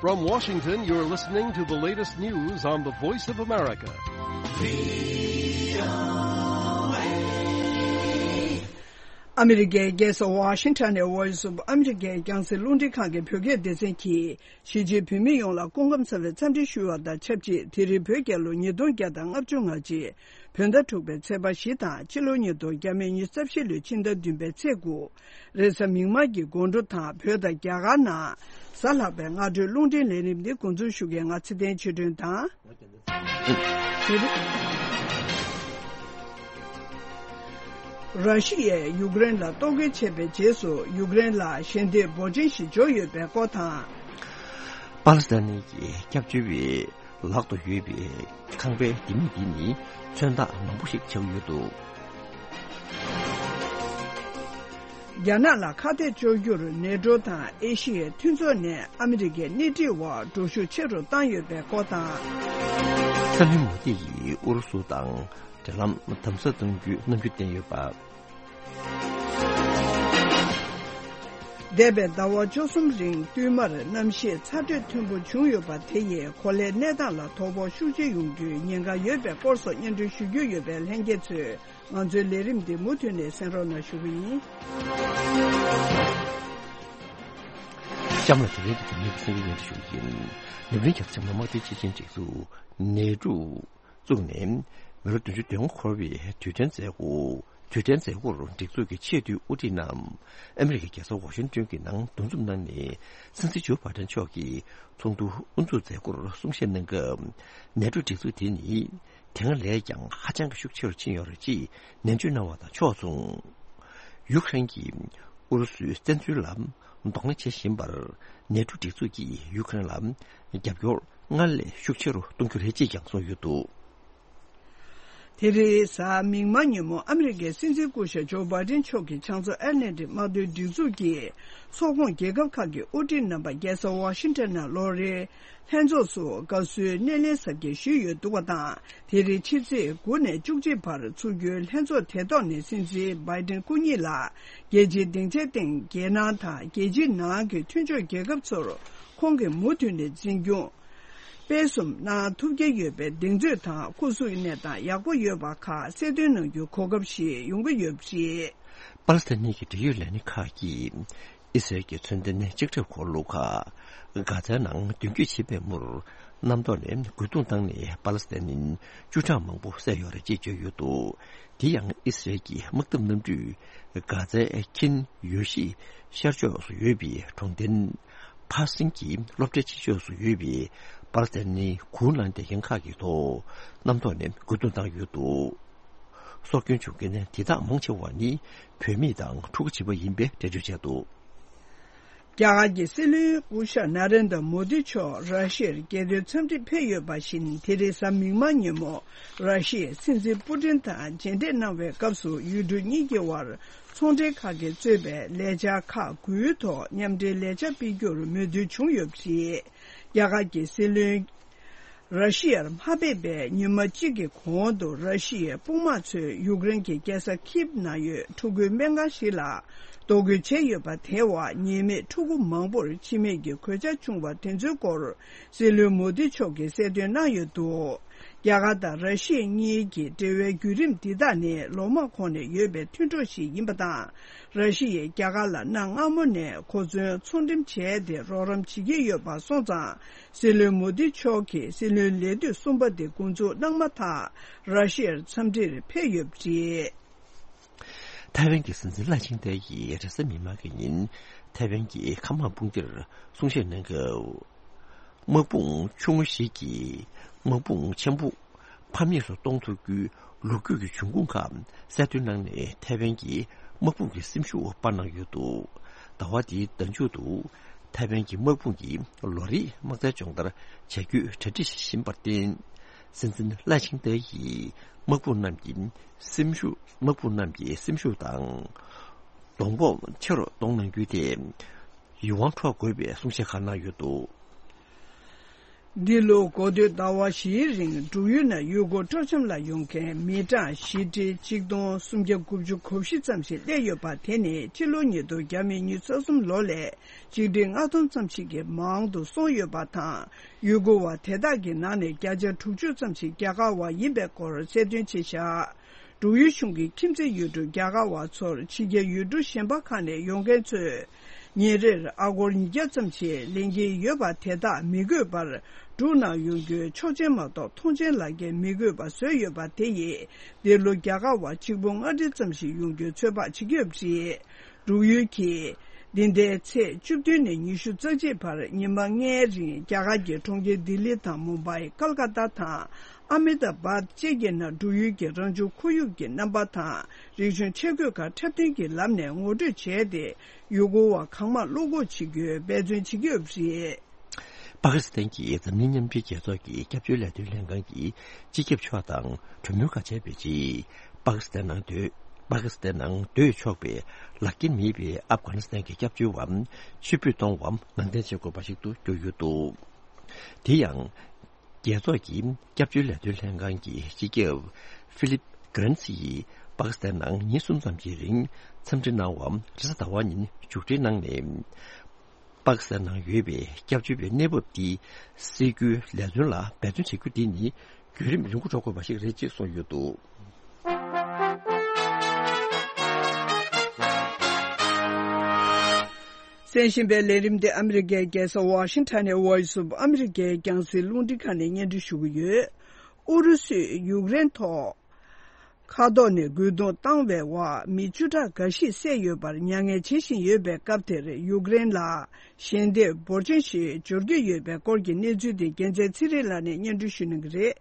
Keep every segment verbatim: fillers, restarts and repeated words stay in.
From Washington, you're listening to the latest news on the Voice of America. ཨ་མི་རི་ཀའི་རྒྱལ་ས་ཝ་ཤིང་ཊོན་ནས་Voice of America རྒྱང་སྲིང་རླུང་འཕྲིན་ཁང་གི་བོད་སྐད་སྡེ་ཚན་གྱིས། གཞིས་བྱེས་བོད་མི་ཡོངས་ལ་སྐུ་ཁམས་བཟང་བའི་འཚམས་འདྲི་ཞུ་བ་དང་ཆབས་ཅིག་དེ་རིང་བོད་རྒྱལ་ལོ་ཉིས་སྟོང་བརྒྱ་དང་ལྔ་བཅུ་ང་གཅིག་བོད་ཟླ་དྲུག་པའི་ཚེས་པ་བཞི་དང་ཕྱི་ལོ་ཉིས་སྟོང་ཉི་ཤུ་རྩ་བཞི་ལོའི་ཕྱི་ཟླ་བདུན་པའི་ཚེས་དགུ། རེས་གཟའ་མིག་དམར་གྱི་དགོང་དྲོ་དང་བོད་དང་རྒྱ་གར་ནང་གཟའ་ལྷག་པའི་སྔ་དྲོའི་རླུང་འཕྲིན་ལས་རིམ་འདི་འགོ་འཛུགས་ཞུ་མཁན་ང་ཚེ་བརྟན་ཆོས་སྒྲོན་དང་། ར་ཤི་ཡས་ཡུཀ་རེན་ལ་གཏོར་རྒོལ་བྱས་པའི་རྗེས་སུ་ཡུཀ་རེན་ལ་ཞལ་འདེབས་འབོར་ཆེན་ཞིག་འབྱོར་ཡོད་པའི་སྐོར་དང་། པ་ལི་སི་ཐན་གྱི་སྐྱབས་བཅོལ་བའི་ལག་ཏུ་ཡོད་པའི་ཁང་པའི་ལྡེ་མིག་འདི་ནི་མཚོན་རྟགས་མང་པོ་ཞིག་ཆགས་ཡོད་འདུག་རྒྱ་ནག་ལ་ཁ་གཏད་གཅོག་རྒྱུར་ནེ་ཏྲོ་དང་ཨེ་ཤི་ཡའི་མཐུན་ཚོགས་ནས་ཨ་མི་རི་ཀའི་སྣེ་ཁྲིད་འོག་འགྲོ་ཤུགས་ཆེ་རུ་བཏང་ཡོད་པའི་སྐོར་དང་། སྲིད་བློན་མོ་དི་ཡིས་ཨུ་རུ་སུ་དང་འབྲེལ་ལམ་དམ་ཟབ་གཏོང་རྒྱུའི་རྣམ་འགྱུར་བསྟན་ཡོད་པ། འདས་པའི་ཟླ་བ་བཅུ་གསུམ་རིང་བསྟུད་མར་གནམ་གཤིས་ཚ་དྲོད་མཐོན་པོ་བྱུང་ཡོད་པ་དེ་ཡིས་གོ་ལའི་གནས་སྟངས་ལ་དོ་ཕོག་ཤུགས་ཆེ་ཡོང་རྒྱུའི་ཉེན་ཁ་ཡོད་པའི་སྐོར་སོགས་སྙན་སྒྲོན་ཞུ་རྒྱུ་ཡོད་པས་ལྷན་རྒྱས་ཚོས་ང་ཚོའི་ལས་རིམ་འདི་མུ་མཐུད་ནས་གསན་རོགས་གནང་ཞུ་གི་ཡིན། གཤམ་ལ་དེ་རིང་གི་དེ་ཉིད་ཀྱི་གསན་རྒྱུ་ཡིན་དུ་ཞུ་གི་ཡིན། ནུབ་གླིང་རྒྱལ་ཁབ་ཆེན་མོ་དམག་སྡེའི་སྤྱི་ཆིངས་སྒྲིག་འཛུགས་ནེ་ཏྲོ་བཙུགས་ནས་མི་ལོ་བདུན་ཅུ་དོན་ལྔ་འཁོར་བའི་དུས་དྲན་མཛད་སྒོ། དུས་དྲན་མཛད་སྒོར་སྒྲིག་འཛུགས་ཀྱི་ཆེས་མཐོའི་དབུ་ཁྲིད་རྣམས་ཨ་མི་རི་ཀའི་རྒྱལ་ས་ཝ་ཤིང་ཏོན་གྱི་ནང་འདུ་འཛོམས་གནང་ནས། སྲིད་འཛིན་ཇོ་བྷའི་ཏན་མཆོག་གིས་ཚོགས་འདུ་དབུ་འཛུགས་མཛད་སྒོར་གསུང་བཤད་གནང་སྐབས། ནེ་ཏྲོ་སྒྲིག་འཛུགས་དེ་ནི་དེ་སྔ་ལས་ཀྱང་ཧ་ཅང་གི་ཤུགས་ཆེ་རུ་ཕྱིན་ཡོད་རེད་ཅེས་ནན་བརྗོད་གནང་བ་དང་ཕྱོགས་མཚུངས། ཡུཀ་རེན་གྱིས་ཨུ་རུ་སུའི་བཙན་འཛུལ་ལ་གདོང་ལེན་བྱེད་བཞིན་པར། ནེ་ཏྲོ་སྒྲིག་འཛུགས་ཀྱིས་ཡུཀ་རེན་ལ་རྒྱབ་སྐྱོར་སྔར་ལས་ཤུགས་ཆེ་རུ་གཏོང་རྒྱུ་རེད་ཅེས་ཀྱང་གསུངས་ཡོད་འདུག་དེ་རིང་གཟའ་མིག་དམར་ཉིན་མོ་ཨ་མི་རི་ཀའི་སྲིད་འཛིན་སྐུ་ཞབས་ཇོ་བྷའི་ཏན་མཆོག་གིས་བྱང་མཚོ་ཨེཊ་ལན་ཊིག་དམག་དོན་སྒྲིག་འཛུགས་ཀྱི་ཚོགས་ཁོངས་རྒྱལ་ཁབ་ཁག་གི་དབུ་ཁྲིད་རྣམ་པ་རྒྱལ་ས་ཝ་ཤིང་ཊོན་ནང་ལོ་རེའི་ལྷན་ཚོགས་སུ་དགའ་བསུའི་སྣེ་ལེན་གཟབ་རྒྱས་ཞུས་ཡོད་འདུག་པ་དང་། དེ་རིང་ཕྱི་ཚེས་དགུ་ནས་བཅུ་གཅིག་བར་ཚུགས་རྒྱུའི་ལྷན་ཚོགས་དེ་ཐོག་ནས་སྲིད་འཛིན་བྷའི་ཏན་སྐུ་ཉིད་ལ་རྒྱལ་སྤྱིའི་སྡིངས་ཆའི་སྟེང་རྒྱལ་ནང་དང་རྒྱལ་སྤྱིའི་ནང་གི་མཐུན་ཕྱོགས་རྒྱལ་ཁབ་ཚོར་ཁོང་གིས་མུ་མཐུད་ནས་འཛིན་སྐྱོང་སྤེལ་གསུམ་གནང་ཐུབ་ཀྱི་ཡོད་པའི་གདེང་ཚོད་དང་སྐུ་གཟུགས་གནས་སྟངས་ཡག་པོ་ཡོད་པ་ཁག་གསལ་སྟོན་གནང་རྒྱུའི་གོ་སྐབས་ཤིག་ཡོང་གི་ཡོད་པ་རེད། པ་ལི་སི་ཐན་གྱི་འབྲེལ་ཡོད་ལས་སྣེ་ཁག་གིས་ཨི་སི་རལ་གྱི་མཚོན་ལྡན་ལྕགས་ཁྲབ་འཁོར་ལོ་ཁག་གྷ་ཛའི་ནང་མདུན་སྐྱོད་བྱེད་པའི་མུར། གནམ་ཐོག་ནས་རྒོལ་རྡུང་བཏང་ནས་པ་ལི་སི་ཐན་བཅུ་གྲངས་མང་པོ་བསད་ཡོད་རེད་ཅེས་བརྗོད་ཡོད་འདུག་དེ་ཡང་ཨི་སི་རལ་གྱི་དམག་འཐབ་གནམ་གྲུས་གྷ་ཛའི་ཁིན་ཡོ་ཤི་ཤར་ཕྱོགས་སུ་ཡོད་པའི་གྲོང་རྡལ་ཕ་སིན་གྱི་སློབ་གྲྭའི་ཕྱི་ཕྱོགས་སུ་ཡོད་པའི་པ་ལི་སི་ཐན་གྱི་གུར་ནང་བསྡད་མཁན་ཁག་གི་ཐོག་གནམ་ཐོག་ནས་རྒོལ་རྡུང་བཏང་ཡོད་འདུག་སྲོག་སྐྱོན་བྱུང་མཁན་དེ་དག་མང་ཆེ་བ་ནི་བུད་མེད་དང་ཕྲུ་གུ་བྱིས་པ་ཡིན་པའི་འགྲེལ་བརྗོད་བྱས་འདུག་རྒྱ་གར་གྱི་སྲིད་བློན་སྐུ་ཞབས་ན་རེན་དྲ་མོ་དི་མཆོག་ར་ཤི་ཡར་རྒྱལ་དོན་འཚམས་འདྲིར་ཕེབས་ཡོད་པ་བཞིན། དེ་རིང་གཟའ་མིག་དམར་ཉིན་མོ་ར་ཤི་ཡའི་སྲིད་འཛིན་པུ་ཏིན་དང་མཇལ་འཕྲད་གནང་བའི་སྐབས་སུ། ཡུལ་གྲུ་གཉིས་ཀྱི་དབར་ཚོང་འབྲེལ་ཁག་གིས་གཙོས་པའི་ལས་འཆར་ཁག་དགུའི་ཐོག་མཉམ་འབྲེལ་ལས་འཆར་སྤེལ་རྒྱུར་མོས་མཐུན་བྱུང་ཡོད་པ་རེད། རྒྱ་གར་གྱི་སྲིད་བློན་ར་ཤི་ཡར་མ་ཕེབས་པའི་ཉི་མ་གཅིག་གི་གོང་དུ། ར་ཤི་ཡའི་དཔུང་དམག་ཚོས་ཡུཀ་རེན་གྱི་རྒྱལ་ས་ཁིབ་ནང་ཡོད་ཕྲུ་གུའི་སྨན་ཁང་ཞིག་ལ་གཏོར་རྒོལ་བྱས་ཡོད་པ་དེའི་འོག་ཉེས་མེད་ཕྲུ་གུ་མང་པོར་འཆི་རྨས་ཀྱི་གོད་ཆག་བྱུང་བ་དེ་ཚོའི་སྐོར་སྲིད་བློན་མོ་དི་མཆོག་གིས་གསལ་སྟོན་གནང་ཡོད་འདུག་རྒྱ་གར་དང་ར་ཤི་ཡ་གཉིས་ཀྱི་འབྲེལ་བའི་བརྒྱུད་རིམ་འདི་དག་ནི་ལོ་མང་གོང་ནས་ཡོད་པའི་མཐུན་གྲོགས་ཤིག་ཡིན་པ་དང་། ར་ཤི་ཡས་རྒྱ་གར་ལ་གནའ་སྔ་མོ་ནས་གོ་མཚོན་ཚོང་འགྲེམས་བྱས་ཏེ་རོགས་རམ་བྱེད་ཀྱི་ཡོད་པ་སོང་ཙང་། སྲིད་བློན་མོ་དི་མཆོག་གིས་སྲིད་བློན་ལས་དུས་གསུམ་པ་དེ་འགོ་འཛུགས་གནང་མ་ཐག་ར་ཤི་ཡར་འཚམས་འདྲིར་ཕེབས་ཡོད་པ་རེད། ཐའེ་ཝན་གྱི་སྲིད་འཛིན་ལའེ་ཆིང་ཏེ་ཡིས་རེས་གཟའ་མིག་དམར་གྱི་ཉིན་ཐའེ་ཝན་གྱི་མཁའ་དམག་དཔུང་སྡེར་གསུང་བཤད་གནང་སྐབས། དམག་དཔུང་ཆུང་ངུ་ཞིག་གིས་དམག་དཔུང་ཆེན་པོ་ཕམ་ཉེས་སུ་གཏོང་ཐུབ་རྒྱུའི་ལོ་རྒྱུས་ཀྱི་འབྱུང་ཁུངས་ཁག་གསལ་སྟོན་གནང་ནས། ཐའེ་ཝན་གྱི་དམག་དཔུང་གི་སེམས་ཤུགས་སྤར་གནང་ཡོད་འདུག་ཟླ་བ་འདིའི་ཟླ་མཇུག་ཏུ་ཐའེ་ཝན་གྱི་དམག་དཔུང་གི་ལོ་རེའི་དམག་རྩལ་སྦྱོང་བརྡར་བྱ་རྒྱུའི་གྲ་སྒྲིག་བྱེད་བཞིན་པར་བརྟེན། སྲིད་འཛིན་ལའེ་ཆིང་ཏེ་ཡིས་དམག་དཔུང་རྣམས་ཀྱི་སེམས་ཤུགས། དམག་དཔུང་རྣམས་ཀྱི་སེམས་ཤུགས་དང་གདོང་སྤོབས་ཆེ་རུ་གཏོང་གནང་རྒྱུ་དེ་ཡིད་དབང་འཕྲོག་དགོས་པའི་གསུང་བཤད་ཁག་གནང་ཡོད་འདུག་འདི་ལོ་འགོ་སྟོད་ཟླ་བ་བཞིའི་རིང་འབྲུག་ཡུལ་ནང་ཡུལ་སྐོར་སྤྲོ་འཆམ་ལ་ཡོང་མཁན་མི་གྲངས་བཞི་ཁྲི་གཅིག་སྟོང་སུམ་བརྒྱ་དགུ་བཅུ་གོ་བཞི་ཙམ་ཞིག་སླེབས་ཡོད་པ། དེ་ནི་ཕྱི་ལོ་ཉིས་སྟོང་བརྒྱ་མེད་ཉི་ཤུ་རྩ་གསུམ་ལོ་ལས་གཅིག་ཁྲི་ལྔ་སྟོང་ཙམ་ཞིག་གིས་མང་དུ་སོང་ཡོད་པ་དང་། ཡུལ་སྐོར་བ་དེ་དག་གི་ནང་ནས་བརྒྱ་ཆ་དྲུག་ཅུ་ཙམ་ཞིག་རྒྱ་གར་བ་ཡིན་པའི་སྐོར་གསལ་སྟོན་བྱས་བཞག་འབྲུག་ཡུལ་གཞུང་གིས་ཁྱིམ་མཚེས་ཡུལ་གྲུ་རྒྱ་གར་བ་ཚོར་ཕྱི་རྒྱལ་ཡུལ་གྲུ་གཞན་པ་ཁག་ནས་ཡོང་མཁན་ཚོས་ཉིན་རེར་ཨ་སྒོར་ཉིས་བརྒྱ་ཙམ་ཞིག་ལེན་གྱིན་ཡོད་པ། དེ་དག་མི་དགོས་པར་འབྲུག་ནང་ཡོང་རྒྱུའི་ཆོག་མཆན་མ་གཏོགས་མཐོང་མཆན་ལག་འཁྱེར་མི་དགོས་པ་བཟོས་ཡོད་པ། དེ་ཡིས་འདི་ལོ་རྒྱ་གར་བ་གཅིག་པུ་ལྔ་ཁྲི་ཙམ་ཞིག་ཡོང་རྒྱུའི་ཚོད་དཔག་བྱེད་ཀྱི་ཡོད་པ་རེད། འབྲུག་ཡུལ་གྱིས་འདི་ཟླའི་ཚེས་བཅུ་བདུན་ནས་ཉི་ཤུ་རྩ་གཅིག་བར་ཉི་མ་ལྔའི་རིང་རྒྱ་གར་གྱི་གྲོང་ཁྱེར་ལྡི་ལི་དང་མུམ་བྷའི། ཀལ་ཀ་ཏ་དང་ཨ་མེ་ད་བཱད་བཅས་ཀྱི་ནང་འབྲུག་ཡུལ་གྱི་རང་བྱུང་ཁོར་ཡུག་གི་རྣམ་པ་དང་རིག་གཞུང་ཆས་གོས་ཁག་འཁྲབ་སྟོན་གྱི་ལམ་ནས་ངོ་སྤྲོད་བྱས་ཏེ། ཡུལ་སྐོར་བ་གང་མང་བློ་འགུག་བྱེད་རྒྱུའི་འབད་བརྩོན་བྱེད་ཀྱི་ཡོད་པ་རེད། པ་ཀི་སི་ཐན་གྱི་འཛམ་གླིང་མཉམ་འབྲེལ་རྒྱལ་ཚོགས་ཀྱི་སྐྱབས་བཅོལ་ལས་དོན་ལྷན་ཁང་གི་སྤྱི་ཁྱབ་མཆོག་དང་གྲོས་མོལ་ཁག་བྱས་པའི་རྗེས། པ་ཀི་སི་ཐན་ནང་སྡོད། པ་ཀི་སི་ཐན་ནང་སྡོད་ཆོག་པའི་ལག་འཁྱེར་མེད་པའི་ཨབ་གྷ་ནི་སི་ཐན་གྱི་སྐྱབས་བཅོལ་བ་ཕྱིར་འབུད་གཏོང་བར་ནང་འདྲེན་བྱེད་དགོས་པ་ཞིག་ཏུ་གྱུར་ཡོད་འདུག་དེ་ཡང་། རྒྱལ་ཚོགས་ཀྱི་སྐྱབས་བཅོལ་ལས་དོན་ལྷན་ཁང་གི་སྤྱི་ཁྱབ་ཧྥི་ལིབ་གྷ་རན་སི་ཡིས་པ་ཀི་སི་ཐན་ནང་ཉིན་གསུམ་ཙམ་གྱི་རིང་འཚམས་འདྲི་གནང་བ་རེས་གཟའ་ཟླ་བ་ཉིན་མཇུག་སྒྲིལ་གནང་ནས། པ་ཀི་སི་ཐན་ནང་ཡོད་པའི་སྐྱབས་བཅོལ་བའི་གནས་བབ་འདི་སེལ་རྒྱུའི་ལས་དོན་ལ་འབད་བརྩོན་བྱེད་རྒྱུ་འདི་ནི་བརྒྱུད་རིམ་རིང་པོ་འགྲོ་དགོས་པ་ཞིག་རེད་ཅེས་གསུངས་ཡོད་འདུག་གསན་བཞིན་པའི་ལས་རིམ་འདི་ཨ་མི་རི་ཀའི་རྒྱལ་ས་ཝ་ཤིང་ཊོན་ནས་Voice of America རྒྱང་སྲིང་རླུང་འཕྲིན་ཁང་ནས་སྙན་སྒྲོན་ཞུ་གི་ཡོད། ཨུ་རུ་སུས་ཡུཀ་རེན་ཐོག་མཁའ་ཐོག་ནས་རྒོལ་རྡུང་བཏང་བའི་འོག་མི་བཅུ་ཕྲག་འགའ་ཞིག་བསད་ཡོད་པར་མྱ་ངན་བྱེད་བཞིན་ཡོད་པའི་སྐབས་དེར། ཡུཀ་རེན་ལ་ཞལ་འདེབས་འབོར་ཆེན་ཞིག་འབྱོར་གྱི་ཡོད་པའི་སྐོར་གྱི་གནས་ཚུལ་དེ་རྒྱལ་མཚན་ཚེ་རིང་ལགས་ནས་སྙན་སྒྲོན་ཞུ་གནང་གི་རེད།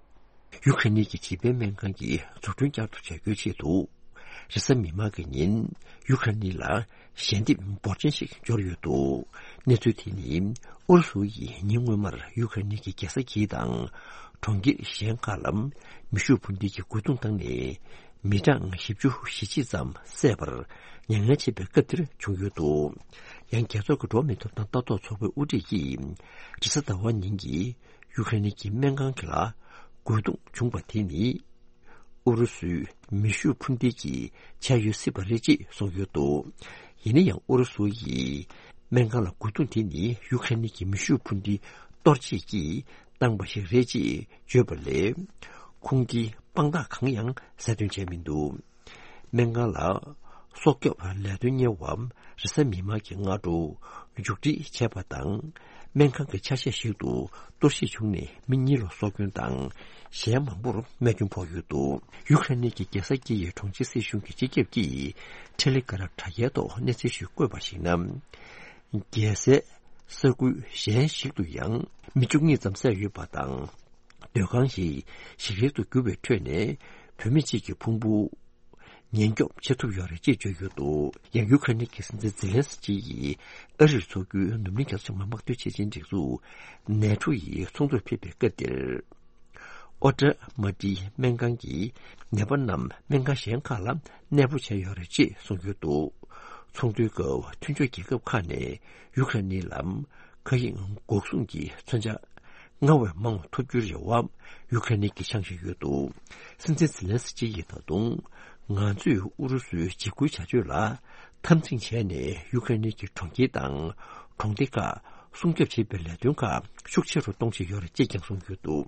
ཡུ་ཁ་ནི་གི་བྱིས་པའི་སྨན་ཁང་གི་འཛུགས་སྐྲུན་བསྐྱར་དུ་བྱ་རྒྱུའི་ཆེད་དུ། རེས་གཟའ་མིག་དམར་གྱི་ཉིན་ཡུ་ཁ་ནི་ལ་ཞལ་འདེབས་འབོར་ཆེན་ཞིག་འབྱོར་ཡོད་འདུག་གནས་ཚུལ་དེ་ནི་ཨུ་རུ་སུ་ཡིས་ཉིན་སྔོན་མར་ཡུ་ཁ་ནི་གི་རྒྱལ་ས་ཁིབ་དང་གྲོང་ཁྱེར་གཞན་ཁག་ལ་མེ་ཤུགས་འཕུར་མདེལ་གྱི་རྒོལ་རྡུང་བཏང་ནས་མི་གྲངས་བཞི་བཅུ་ཞེ་གཅིག་ཙམ་བསད་པར་མྱ་ངན་བྱེད་པའི་སྐབས་དེར་བྱུང་ཡོད་འདུག་ཡང་རྒྱལ་ཚོགས་ཀྱི་འགྲོ་བ་མིའི་ཐོབ་ཐང་ལྟ་རྟོག་ཚོགས་པའི་དབུ་ཁྲིད་ཀྱིས་རེས་གཟའ་ཟླ་བ་ཉིན་གྱི་ཡུ་ཁ་ནི་གི་སྨན་ཁང་གི་ལ་རྒོལ་རྡུང་བྱུང་བ་དེ་ནི་ཨུ་རུ་སུའི་མེ་ཤུགས་འཕུར་མདེལ་གྱི་ཆ་ཡོད་སྲིད་པ་རེད་ཅེས་གསུངས་ཡོད་འདུག་ཡིན་ན་ཡང་ཨུ་རུ་སུ་ཡིས་སྨན་ཁང་ལ་རྒོལ་རྡུང་དེ་ནི་ཡུ་ཁ་ནི་གི་མེ་ཤུགས་འཕུར་མདེལ་གཏོར་བྱེད་ཀྱིས་བཏང་པ་ཞིག་རེད་ཅེས་བརྗོད་པ་ལས། ཁོང་གིས་དཔང་རྟགས་གང་ཡང་གསལ་སྟོན་བྱས་མི་འདུག་སྨན་ཁང་ལ་སྲོག་སྐྱོབ་ལས་དོན་གཉེར་བ་རེས་གཟའ་མིག་དམར་གྱི་སྔ་དྲོ་མཇུག་སྒྲིལ་བྱས་པ་དང་། སྨན་ཁང་གི་ཆ་ཤས་ཤིག་ཏུ་གཏོར་བཤིག་བྱུང་ནས་མི་གཉིས་ལ་སྲོག་སྐྱོན་དང་། གཞན་མང་པོར་རྨས་སྐྱོན་ཕོག་ཡོད་འདུག་ཡུ་ཁ་ནི་གི་རྒྱལ་ས་ཀི་ཡི་གྲོང་ཁྱེར་སྲིད་གཞུང་གི་སྤྱི་ཁྱབ་ཀྱིས་ཊེ་ལི་གྷ་རམ་དྲ་རྒྱའི་ཐོག་གནས་ཚུལ་ཞིག་བཀོད་པར་གཞིགས་ན། རྒྱལ་སའི་ས་ཁུལ་གཞན་ཞིག་ཏུ་ཡང་མི་བཅུ་གཉིས་ཙམ་བསད་ཡོད་པ་དང་། སྡོད་ཁང་ཞིག་ཞིག་རལ་དུ་གྱུར་བའི་ཁྲོད་ནས་བུད་མེད་ཅིག་གི་ཕུང་པོ་ཉེན་སྐྱོབ་བྱེད་ཐུབ་ཡོད་རེད་ཅེས་བརྗོད་ཡོད་འདུག་ཡང་ཡུ་ཁ་ནི་གི་སྲིད་འཛིན་ཛེ་ལན་སི་ཀི་ཡིས་ཨ་རིར་འཚོགས་རྒྱུའི་འཛམ་གླིང་རྒྱལ་ཚོགས་མི་དམངས་དོན་ཆེད་ཆེད་སྒྲིག་འཛུགས་ནེ་ཊོ་ཡི་ཚོགས་འདུར་ཕེབས་པའི་སྐབས་དེར། ཨོ་ཏྲ་མ་ཏི་སྨན་ཁང་གི་ནད་པ་རྣམས་སྨན་ཁང་གཞན་ཁག་ལ་གནས་སྤོ་བྱས་ཡོད་རེད་ཅེས་གསུངས་ཡོད་འདུག་ཚོགས་འདུའི་སྐབས་མཐུན་ཕྱོགས་རྒྱལ་ཁབ་ཁག་ནས་ཡུ་ཁ་ནི་ལ་མཁའ་དབྱིངས་འགོག་སྲུང་གི་མཚོན་ཆ་སྔར་བས་མང་བ་ཐོབ་རྒྱུའི་རེ་བ་ཡུ་ཁ་ནི་གིས་འཆང་བཞིན་ཡོད་འདུག་སྲིད་འཛིན་ཛེ་ལན་སི་ཀི་ཡིས་ད་དུང་ང་ཚོས་ཨུ་རུ་སུའི་འཇིགས་སྐུལ་བྱ་སྤྱོད་ལ་འཐབ་འཛིང་བྱས་ནས་ཡུ་ཁ་ནི་གི་གྲོང་ཁྱེར་དང་གྲོང་སྡེ་ཁག་སྲུང་སྐྱོབ་བྱེད་པའི་ལས་དོན་ཁག་ཤུགས་ཆེ་རུ་གཏོང་བཞིན་ཡོད་རེད་ཅེས་ཀྱང་གསུངས་ཡོད་འདུག་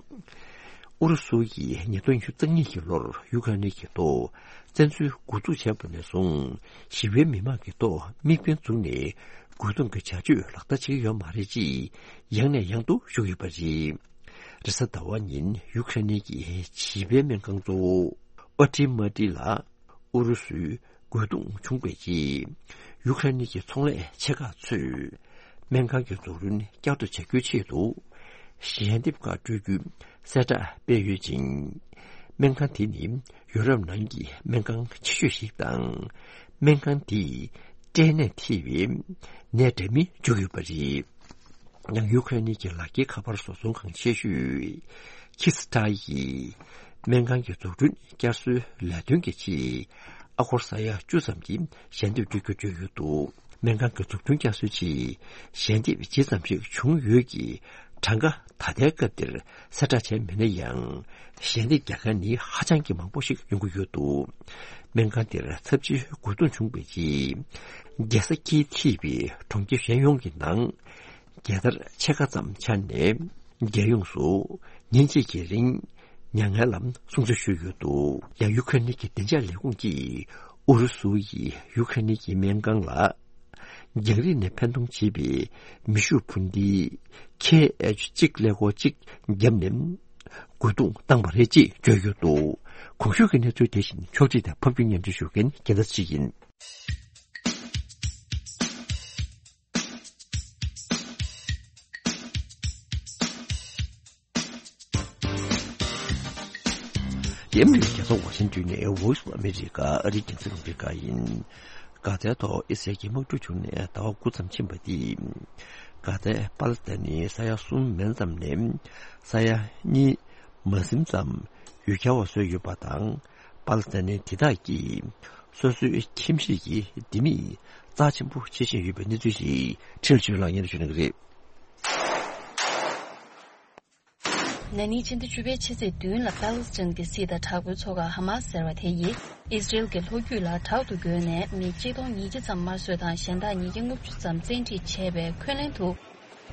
ཨུ་རུ་སུ་ཡིས་ཉིས་སྟོང་ཉི་ཤུ་རྩ་གཉིས་ཀྱི་ལོར་ཡུ་ཁ་ནི་གི་ཐོག་བཙན་འཛུལ་འགོ་འཛུགས་བྱས་པ་ནས་བཟུང་ཞི་བའི་མི་མང་གི་ཐོག་དམིགས་འབེན་བཙུགས་ནས་རྒོལ་རྡུང་གི་བྱ་སྤྱོད་ལག་བསྟར་བྱེད་ཀྱི་ཡོད་མ་རེད་ཅེས་ཡང་ནས་ཡང་དུ་ཞུས་ཡོད་པ་རེད། རེས་གཟའ་ཟླ་བ་ཉིན་ཡུ་ཁ་ནི་གི་བྱིས་པའི་སྨན་ཁང་གཙོ་བོ་ཨོ་ཏི་མ་ཏི་ལ་ཨུ་རུ་སུའི་རྒོལ་རྡུང་བྱུང་བའི་རྗེས། ཡུ་ཁ་རེན་གྱི་ཚོང་ལས་ཆེ་ཁག་ཚོས་སྨན་ཁང་གི་འཛུགས་སྐྲུན་བསྐྱར་དུ་བྱ་རྒྱུའི་ཆེད་དུ། ཞལ་འདེབས་ཁག་སྤྲོད་རྒྱུའི་གསལ་བསྒྲགས་སྤེལ་ཡོད་ཅིང་། སྨན་ཁང་དེ་ནི་ཡུ་རོབ་ནང་གི་སྨན་ཁང་ཆེ་ཤོས་ཤིག་དང་། སྨན་ཁང་དེས་སྐྲན་ནད་ཐེ་བའི་ནད་འདྲ་མིན་བཅུག་ཡོད་པ་རེད། ཡང་ཡུ་ཁ་རེན་གྱི་ལག་འཁྱེར་ཁ་པར་བཟོ་ཚོང་ཁང་ཆེ་ཤོས་ཁི་སི་ཊ་ཡིས་སྨན་ཁང་གི་འཛུགས་སྐྲུན་བསྐྱར་གསོའི་ལས་དོན་གྱི་ཆེད་ཨ་སྒོར་ས་ཡ་བཅུ་ཙམ་གྱི་ཞལ་འདེབས་སྤྲོད་རྒྱུ་བརྗོད་ཡོད་འདུག་སྨན་ཁང་གི་འཛུགས་སྐྲུན་བསྐྱར་གསོའི་ཆེད་ཞལ་འདེབས་ཇི་ཙམ་ཞིག་བྱུང་ཡོད་ཀྱི་ གྲངས་ཀ་ད་ལྟའི་སྐབས་འདིར་གསལ་བསྒྲགས་བྱས་མེད་ན་ཡང་། ཞལ་འདེབས་རྒྱག་མཁན་ནི་ཧ་ཅང་གི་མང་པོ་ཞིག་ཡོང་གི་ཡོད་འདུག་སྨན་ཁང་འདིར་ཚབས་ཆེའི་རྒོལ་རྡུང་བྱུང་བའི་རྗེས། རྒྱལ་ས་ཀྱིས་འཐུས་པའི་གྲོང་ཁྱེར་གཞན་ཡོངས་ཀྱི་ནང་། རྒྱལ་དར་ཕྱེད་ཀ་ཙམ་འཕྱར་ནས། རྒྱལ་ཡོངས་སུ་ཉིན་གཅིག་གི་རིང་མྱ་ངན་ལམ་སྲུང་བརྩི་ཞུས་ཡོད་འདུག་ཡང་ཡུ་ཁ་ནི་གི་བདེ་འཇགས་ལས་ཁུངས་ཀྱིས་ཨུ་རུ་སུ་ཡིས་ཡུ་ཁ་ནི་གི་སྨན་ཁང་ལ། རྒྱང་རིང་ནས་འཕེན་གཏོང་བྱེད་པའི་མེ་ཤུགས་འཕུར་མདེལ་ཁེ་ཨེཆ་གཅིག་ཀླད་ཀོར་གཅིག་བརྒྱབ་ནས་རྒོལ་རྡུང་བཏང་བ་རེད་ཅེས་བརྗོད་ཡོད་འདུག་གོང་ཞུས་ཀྱི་གནས་ཚུལ་དེ་བཞིན་ཕྱོགས་སྒྲིག་དང་ཕབ་སྒྱུར་སྙན་སྒྲོན་ཞུ་མཁན་རྒྱལ་མཚན་ཅིག་ཡིན། ཡེམ་རིགས་རྒྱལ་ས་ཝ་ཤིང་ཏོན་ནས་Voice of America ཨ་རིའི་རྒྱང་སྲིང་རླུང་འཕྲིན་ཁང་ཡིན། གྷ་ཛའི་ཐོག་ཨི་སི་རལ་གྱི་དམག་འཁྲུག་བྱུང་ནས་ཟླ་བ་དགུ་ཙམ་ཕྱིན་པ་དེས། གྷ་ཛའི་པ་ལི་སི་ཐན་ནི་ས་ཡ་གསུམ་མན་ཙམ་ནས་ས་ཡ་གཉིས་མ་ཟིན་ཙམ་ཡུལ་གྱར་བ་བཟོས་ཡོད་པ་དང་། པ་ལི་སི་ཐན་དེ་དག་གིས་སོ་སོའི་ཁྱིམ་གཞིས་ཀྱི་ལྡེ་མིག་རྩ་ཆེན་པོ་བྱེད་བཞིན་ཡོད་པའི་གནས་ཚུལ་ཞིག་ཁྲིན་ལ་ཆོས་ལགས་སྙན་སྒྲོན་ཞུ་གནང་གི་རེད། ན་ནིང་ཕྱི་ཟླ་བཅུ་པའི་ཕྱི་ཚེས་བདུན་ལ་པ་ལི་སི་ཐན་གྱི་སྲིད་དང་དྲག་པོའི་ཚོགས་ཁག་ཧ་མ་སི་ཟེར་བ་དེ་ཡིས་ཨི་སི་རེལ་གྱི་ལྷོ་རྒྱུད་ལ་དྲག་ཏུ་རྒོལ་ནས་མི་གཅིག་སྟོང་ཉིས་བརྒྱ་ཙམ་དམར་གསོད་དང་གཞན་དག་ཉིས་བརྒྱ་ལྔ་བཅུ་ཙམ་བཙན་ཁྲིད་བྱས་པའི་འཁོན་ལན་དུ།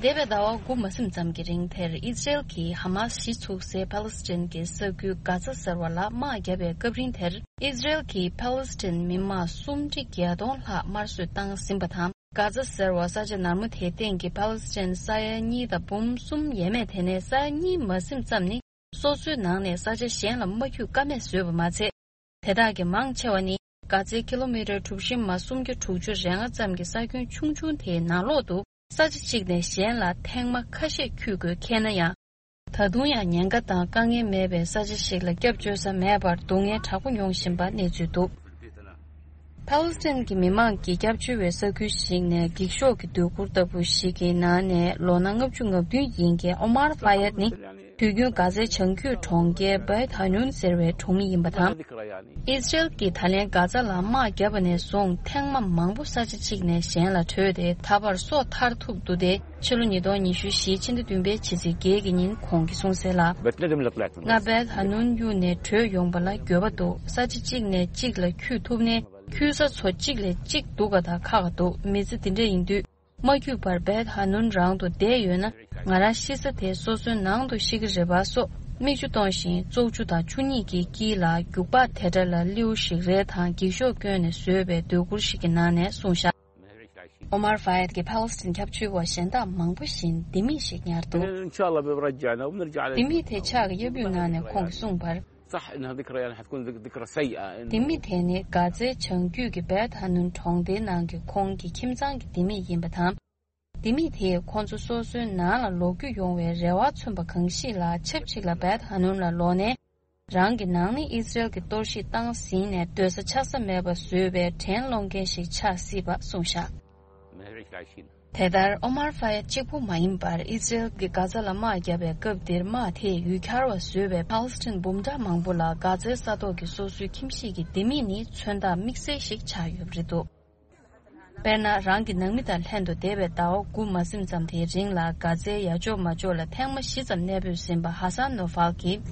འདས་པའི་ཟླ་བ་དགུ་མ་ཟིན་ཙམ་གྱི་རིང་དེར་ཨི་སི་རེལ་གྱིས་ཧ་མ་སི་གཞི་ཚུགས་སའི་པ་ལི་སི་ཐན་གྱི་ས་ཁུལ་གྷ་ཛ་ཟེར་བ་ལ་དམག་བརྒྱབ་པའི་སྐབས་རིང་དེར་ཨི་སི་རེལ་གྱིས་པ་ལི་སི་ཐན་མི་དམངས་སུམ་ཁྲི་བརྒྱད་སྟོང་ལྷག་དམར་གསོད་བཏང་ཟིན་པ་དང་། གྷ་ཛ་ཟེར་བ་ས་ཆ་ནར་མོ་དེའི་སྟེང་གི་པ་ལི་སི་ཐན་ས་ཡ་གཉིས་དང་འབུམ་གསུམ་ཡས་མས་དེ་ནས་ས་ཡ་གཉིས་མ་ཟིན་ཙམ་ནི་སོ་སོའི་ནང་ནས་ས་ཆ་གཞན་ལ་མ་འཁྱུད་ཀ་མེད་བཟོས་པ་མ་ཚད། དེ་དག་གི་མང་ཆེ་བ་ནི་གྷ་ཛའི་ཀི་ལོ་མི་ཊར་གྲུ་བཞི་མ་སུམ་བརྒྱ་དྲུག་ཅུ་རེ་ལྔ་ཙམ་གྱི་ས་ཁྱོན་ཆུང་ཆུང་དེའི་ནང་ལོགས་དུ་ས་ཆ་གཅིག་ནས་གཞན་ལ་ཐེངས་མ་ཁ་ཤས་འཁྱུད་དགོས་ཁེལ་ན་ཡང་། ད་དུང་ཡང་ཉེན་ཁ་དང་དཀའ་ངལ་མེད་པའི་ས་ཆ་ཞིག་ལ་སྐྱབས་བཅོལ་ས་མེད་པར་སྡུག་བསྔལ་དྲག་པོ་མྱོང་བཞིན་པ་གནས་ཚུལ་འདུག་པ་ལི་སི་ཐན་གྱི་མི་མང་གིས་སྐྱབས་བཅོལ་བའི་ས་ཁུལ་ཞིག་ནས་འགྱིག་ཤོག་གི་སྡོད་གུར་ལྟ་བུ་ཞིག་གི་ནང་ནས་ལོ་ན་ལྔ་བཅུ་ང་བདུན་ཡིན་མཁན་ཨོ་མར་ཧྥ་ཡད་ནི་དུས་རྒྱུན་གྷ་ཛའི་བྱང་རྒྱུད་གྲོང་ཁྱེར་བྷེད་ཧ་ནུན་ཟེར་བའི་གྲོང་མི་ཡིན་པ་དང་། ཨི་སི་རེལ་གྱིས་ད་ལན་གྷ་ཛ་ལ་དམག་བརྒྱབ་པ་ནས་བཟུང་ཐེངས་མ་མང་པོ་ས་ཆ་གཅིག་ནས་གཞན་ལ་བྲོས་ཏེ་ད་བར་སོ་ཐར་ཐུབ་འདུག་སྟེ། ཕྱི་ལོ་ཉིས་སྟོང་ཉི་ཤུ་བཞི་ཕྱི་ཟླ་བདུན་པའི་ཕྱི་ཚེས་བརྒྱད་ཀྱི་ཉིན་ཁོང་གིས་གསུངས་གསལ་ལ། ང་བྷེད་ཧ་ནུན་གཡུགས་ནས་བྲོས་ཡོང་པ་ལ་འགྱོད་པ་འདུག་ས་ཆ་གཅིག་ནས་གཅིག་ལ་འཁྱུད་ཐུབ་ནས་འཁྱུད་ས་ཚོ་གཅིག་ལས་གཅིག་སྡུག་ག་དང་ཁག་ག་འདུག་མི་ཚེ་འདི་འདྲ་ཡིན་དུས་མ་འཁྱུད་པར་བྷེད་ཧ་ནུན་རང་དུ་བསྡད་ཡོད་ན་ང་རང་ཤི་ས་དེ་སོ་སོའི་ནང་དུ་ཤི་གི་རེད་པ་སོགས་མིག་ཆུ་གཏོང་བཞིན་བཙོག་ཆུ་དང་ཆུ་གཉིས་ཀྱི་དཀྱིལ་ལ་རྒྱུག་པ་དེ་འདྲ་ལ་སླེའུ་ཞིག་རལ་དང་འགྱིག་ཤོག་བསྐྱོན་ནས་བཟོས་པའི་སྡོད་གུར་ཞིག་གི་ནང་ནས་གསུངས་བཞག་ཨོ་མར་ཧྥ་ཡད་ཀྱིས་ཕ་ལེ་སི་ཐན་སྐྱབས་བཅོལ་བ་གཞན་དག་མང་པོ་བཞིན་ལྡེ་མིག་ཞིག་ཉར་འདུག་ལྡེ་མིག་དེ་ཕྱག་གི་གཡབ་གཡུག་གནང་ནས་ཁོང་གིས་གསུངས་པར། ལྡེ་མིག་དེ་ནི་གྷ་ཛའི་བྱང་རྒྱུད་ཀྱི་བེད་ཧ་ནུན་གྲོང་སྡེའི་ནང་གི་ཁོང་གི་ཁྱིམ་ཚང་གི་ལྡེ་མིག་ཡིན་པ་དང་། ལྡེ་མིག་དེས་ཁོང་ཚོ་སོ་སོའི་ནང་ལ་ལོག་རྒྱུ་ཡོང་བའི་རེ་བ་མཚོན་པ་གང་ཞིག་ལ་ཆབས་ཅིག་ལ་བེད་ཧ་ནུན་ལ་ལོག་ནས། རང་གི་ནང་མི་ཨི་ཛི་རལ་གྱིས་གཏོར་བཤིག་བཏང་ཟིན་ནས་སྡོད་ས་ཆགས་ས་མེད་པ་བཟོས་པའི་དྲན་སློང་མཁན་ཞིག་ཆགས་སྲིད་པ་གསུངས་བཞག་དེ་ལྟར་ཨོ་མར་ཧྥ་ཡད་གཅིག་པུ་མ་ཡིན་པར་ཨི་ཛི་རལ་གྱིས་གྷ་ཛ་ལ་དམག་བརྒྱབ་པའི་སྐབས་འདིར་དམག་དེས་ཡུལ་གྱར་བ་བཟོས་པའི་ཕ་ལེ་སི་ཐན་འབུམ་ཕྲག་མང་པོ་ལ་གྷ་ཛའི་ས་ཐོག་གི་སོ་སོའི་ཁྱིམ་གཞིས་ཀྱི་ལྡེ་མིག་ནི་མཚོན་རྟགས་དམིགས་བསལ་ཞིག་ཆགས་ཡོད་པ་རེད་འདུག་དཔེར་ན། རང་གི་ནང་མི་དང་ལྷན་དུ་འདས་པའི་ཟླ་བ་དགུ་མ་ཟིན་ཙམ་དེའི་རིང་ལ་གྷ་ཛའི་ཡ་ཅོག་མ་ཅོག་ལ་ཐེངས་མ་བཞི་ཙམ་གནས་སྤོས་ཟིན་པ་ཧ་སན་ནོ་ཧྥལ་གྱིས།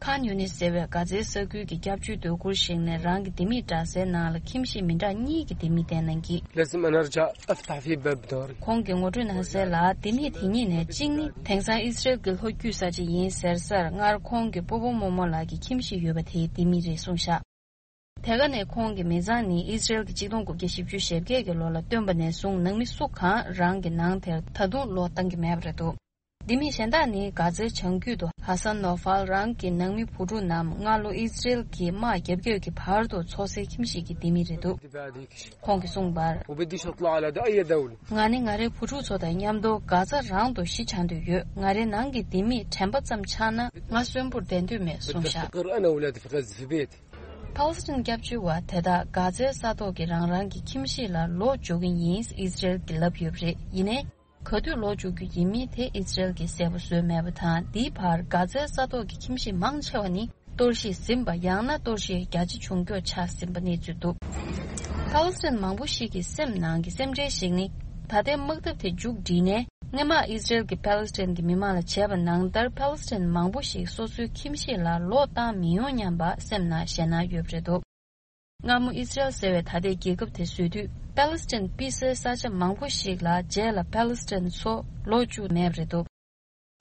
ཁཱན་ཡུ་ནིས་ཟེར་བའི་གྷ་ཛའི་ས་ཁུལ་གྱི་སྐྱབས་བཅོལ་སྡོད་གུར་ཞིག་ནས་རང་གི་ལྡེ་མིག་འདྲ་སའི་ནང་ལ་ཁྱིམ་གཞིས་མི་འདྲ་གཉིས་ཀྱི་ལྡེ་མིག་བསྟན་གནང་གིས། ཁོང་གིས་ངོ་སྤྲོད་གནང་གསལ་ལ། ལྡེ་མིག་དེ་གཉིས་ནས་གཅིག་ནི་དེང་སང་ཨི་ཛི་རལ་གྱི་ལྷོ་རྒྱུད་ས་ཆ་ཡིན་ཟེར་སར་སྔར་ཁོང་གི་སྤོ་བོ་རྨོ་མོ་ལགས་ཀྱི་ཁྱིམ་གཞིས་ཡོད་པ་དེའི་ལྡེ་མིག་རེད་གསུངས་བཞག་དེ་ག་ནས་ཁོང་གི་མི་ཚང་ནི་ཨི་ཛི་རལ་གྱི་གཅིག་སྟོང་དགུ་བརྒྱ་བཞི་བཅུ་ཞེ་བརྒྱད་ཀྱི་ལོ་ལ་བཏོན་པ་ནས་བཟུང་ནང་མི་སུ་གང་རང་གི་ནང་དེར་ད་དུང་ལོག་བཏང་གི་མེད་པ་རེད་འདུག་ལྡེ་མིག་གཞན་དག་ནི་གྷ་ཛའི་བྱང་རྒྱུད་དུ་ཧ་སན་ནོ་ཧྥལ་རང་གི་ནང་མི་བུ་ཕྲུག་རྣམས་སྔ་ལོ་ཨི་ཛི་རལ་གྱིས་དམག་བརྒྱབ་རྒྱབ་ཀྱི་བར་དུ་འཚོ་སའི་ཁྱིམ་གཞིས་ཀྱི་ལྡེ་མིག་རེད་འདུག་ཁོང་གིས་གསུངས་པར། ང་ནི་ང་རའི་བུ་ཕྲུག་ཚོ་དང་མཉམ་དུ་གྷ་ཛ་རང་དུ་གཞིས་ཆགས་འདོད་ཡོད། ང་རའི་ནང་གི་ལྡེ་མིག་དྲན་པ་ཙམ་ཆགས་ན་ང་གསོན་པོར་བསྡད་འདོད་མེད་གསུངས་བཞག་ཕ་ལེ་སི་ཐན་སྐྱབས་བཅོལ་བ་དེ་དག་གྷ་ཛའི་ས་ཐོག་གི་རང་རང་གི་ཁྱིམ་གཞིས་ལ་ལོག་འཇུག་གི་ཡིན་ཨི་ཛི་རལ་གྱིས་ལབ་ཡོད་པ་རེད། ཡིན་ནའི། ག་དུས་ལོག་འཇུག་རྒྱུ་ཡིན་མིན་དེ་ཨི་ཛི་རལ་གྱིས་གསལ་པོ་བཟོས་མེད་པ་དང་། འདིའི་བར་གྷ་ཛའི་ས་ཐོག་གི་ཁྱིམ་གཞིས་མང་ཆེ་བ་ནི་གཏོར་བཤིག་ཟིན་པ་ཡང་ན་གཏོར་བཤིག་རྒྱ་ཆེ་བྱུང་འགྱོག་ཆགས་ཟིན་པ་གནས་ཚུལ་འདུག་ཕ་ལེ་སི་ཐན་མང་པོ་ཞིག་གི་སེམས་ནང་གི་སེམས་ཁྲལ་ཞིག་ནི། ད་ལྟའི་དམག་འཐབ་དེ་མཇུག་བསྒྲིལ་ནས། སྔོན་མ་ཨི་ཟི་རེལ་གྱིས་པ་ལི་སི་ཐན་གྱི་མི་མང་ལ་བྱས་པ་ནང་ལྟར་པ་ལི་སི་ཐན་མང་པོ་ཞིག་སོ་སོའི་ཁྱིམ་གཞིས་ལ་ལོག་བཏང་མི་ཡོང་སྙམ་པ་སེམས་ནང་ཞེད་སྣང་ཡོད་པ་རེད་འདུག། སྔ་མོ་ཨི་ཟི་རེལ་ཟེར་བའི་ད་ལྟའི་རྒྱལ་ཁབ་དེ་བཟོས་དུས་པ་ལི་སི་ཐན་དཔེ་སྲིད་ས་ཆ་མང་པོ་ཞིག་ལ་རྗེས་ལ་པ་ལི་སི་ཐན་ཚོ་ལོག་བཅུག་མེད་པ་རེད་འདུག།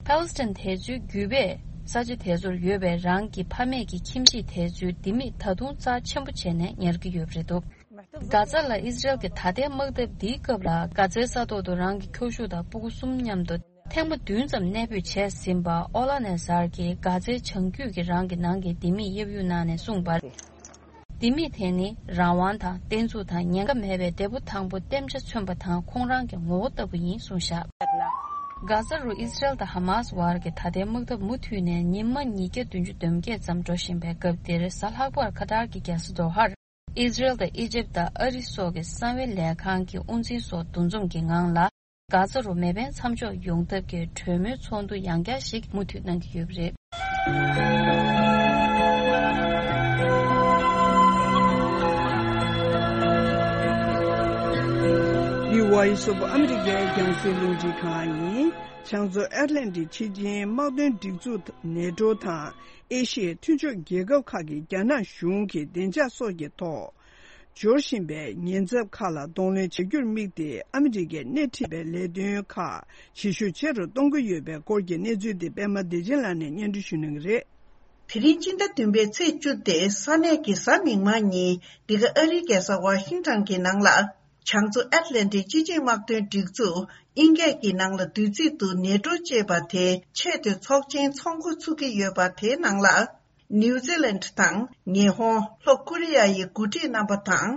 པ་ལི་སི་ཐན་དེ་ཚོའི་རྒྱུད་པས་ས་ཆ་དེ་ཚོར་ཡོད་པའི་རང་གི་ཕ་མེས་ཀྱི་ཁྱིམ་གཞིས་དེ་ཚོའི་ལྡེ་མིག་ད་དུང་རྩ་ཆེན་པོ་བྱས་ནས་ཉར་གྱི་ཡོད་པ་རེད་འདུག། གྷ་ཛ་ལ་ཨི་ཟི་རེལ་གྱི་ད་ལྟའི་དམག་འཐབ་འདིའི་སྐབས་ལ་གྷ་ཛའི་ས་ཐོག་ཏུ་རང་གི་ཁྱོ་ཤུག་དང་སྤུ་གུ་གསུམ་མཉམ་དུ་ཐེངས་མ་བདུན་ཙམ་གནས་སྤོས་བྱས་ཟིན་པ་ཨོ་ལ་ནེ་ཟར་གྱིས་གྷ་ཛའི་བྱང་རྒྱུད་ཀྱི་རང་གི་ནང་གི་ལྡེ་མིག་གཡབ་གཡུག་གནང་ནས་གསུངས་པར། ལྡེ་མིག་དེ་ནི་རང་དབང་དང་བརྟན་ཚུགས་དང་ཉེན་ཁ་མེད་པའི་འདས་པོ་དང་པོ་བསྟན་ཆ་མཚོན་པ་དང་ཁོང་རང་གི་ངོ་བོ་ལྟ་བུ་ཡིན་གསུངས་བཞག། གྷ་ཛ་རུ་ཨི་ཟི་རེལ་དང་ཧ་མཱ་སི་བར་གྱི་ད་ལྟའི་དམག་འཐབ་མུ་མཐུད་ནས་ཉི་མ་ཉིས་བརྒྱ་བདུན་ཅུ་དོན་བརྒྱད་ཙམ་འགྲོ་བཞིན་པའི་སྐབས་འདིར། གཟའ་ལྷག་པར་ཁ་ཏར་གྱི་རྒྱལ་ས་དོ་ཧར་ཨི་ཟི་རེལ་དང་ཨི་ཇིབ་དང་ཨ་རི་སོགས་ཀྱི་གསང་བའི་ལས་ཁང་གི་དབུ་འཛིན་སོགས་འདུ་འཛོམས་ཀྱི་ངང་ལ། གྷ་ཛ་རུ་མེ་འཕེན་མཚམས་འཇོག་ཡོང་ཐབས་ཀྱི་གྲོས་མོལ་ཚོགས་འདུ་ཡང་བསྐྱར་ཞིག་མུ་མཐུད་གནང་གི་ཡོད་པ་རེད། འདི་Voice of America རྒྱང་སྲིང་རླུང་འཕྲིན་ཁང་ཡིན། བྱང་མཚོ་ཨེཊ་ལན་ཊིག་སྤྱི་ཆིངས་དམག་དོན་སྒྲིག་འཛུགས་ནེ་ཊོ་དང་ཨེ་ཤི་ཡའི་མཐུན་ཕྱོགས་རྒྱལ་ཁབ་ཁག་གིས་རྒྱ་ནག་གཞུང་གི་བདེ་འཇགས་སོགས་ཀྱི་ཐོག་འབྱོར་བཞིན་པའི་ཉེན་ཚབས་ཁག་ལ་གདོང་ལེན་བྱ་རྒྱུར་དམིགས་ཏེ། ཨ་མི་རི་ཀས་སྣེ་ཁྲིད་པའི་ལས་དོན་ཁག་བྱེད་ཤུགས་ཆེ་རུ་གཏོང་གི་ཡོད་པའི་སྐོར་གྱི་གནས་ཚུལ་དེ་པད་མ་བདེ་ཆེན་ལགས་ནས་སྙན་སྒྲོན་ཞུ་གནང་གི་རེད། དེ་རིང་སྤྱི་ཟླ་བདུན་པའི་ཚེས་བཅུ་སྟེ་ས་གནས་ཀྱི་གཟའ་མིག་དམར་ཉིན། འདི་ག་ཨ་རིའི་རྒྱལ་ས་ཝ་ཤིང་ཊོན་གྱི་ནང་ལ། བྱང་མཚོ་ཨེཊ་ལན་ཊིག་སྤྱི་ཆིངས་དམག་དོན་སྒྲིག་འཛུགས་དབྱིན་སྐད་ཀྱི་ནང་ལ་བསྡུས་ཚིག་ཏུ་ནེ་ཊོ་ཅེས་པ་དེ་ཆེས་མཐོའི་ཚོགས་ཆེན་ཚོགས་འགོ་ཚུགས་ཀྱི་ཡོད་པ་དེའི་ནང་ལ། ནིའུ་ཛི་ལན་དང་ཉི་ཧོང་། ལྷོ་ཀོ་རི་ཡ་ཡི་འགོ་ཁྲིད་རྣམ་པ་དང་།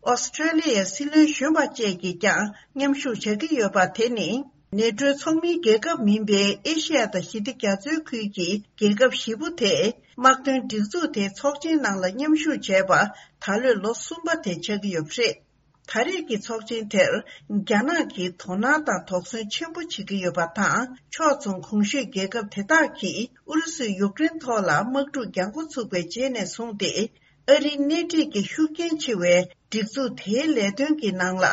ཨོ་སི་ཀྲེ་ལི་ཡའི་སྲིད་བློན་གཞོན་པ་བཅས་ཀྱིས་ཀྱང་མཉམ་ཞུགས་བྱ་གི་ཡོད་པ་དེ་ནི། ནེ་ཊོའི་ཚོགས་མིའི་རྒྱལ་ཁབ་མིན་པའི་ཨེ་ཤི་ཡ་དང་ཞི་བདེ་རྒྱ་མཚོའི་ཁུལ་གྱི་རྒྱལ་ཁབ་བཞི་པོ་དེས་དམག་དོན་སྒྲིག་འཛུགས་དེའི་ཚོགས་ཆེན་ནང་ལ་མཉམ་ཞུགས་བྱས་པ་ད་ལོའི་ལོ་གསུམ་པ་དེ་ཆགས་ཀྱི་ཡོད་པ་རེད། ད་རེས་ཀྱི་ཚོགས་ཆེན་དེར་རྒྱ་ནག་གིས་དོ་སྣང་དང་དོགས་ཟོན་ཆེན་པོ་བྱེད་ཀྱི་ཡོད་པ་དང་། ཕྱོགས་མཚུངས་གོང་ཞུས་རྒྱལ་ཁབ་དེ་དག་གིས་ཨུ་རུ་སུས་ཡུཀ་རེན་ཐོག་ལ་དམག་འཁྲུག་རྒྱག་འགོ་ཚུགས་པའི་རྗེས་ནས་བཟུང་སྟེ། ཨ་རིའི་སྣེ་ཁྲིད་ཀྱི་ཤུགས་རྐྱེན་ཆེ་བའི་སྒྲིག་འཛུགས་དེའི་ལས་དོན་གྱི་ནང་ལ་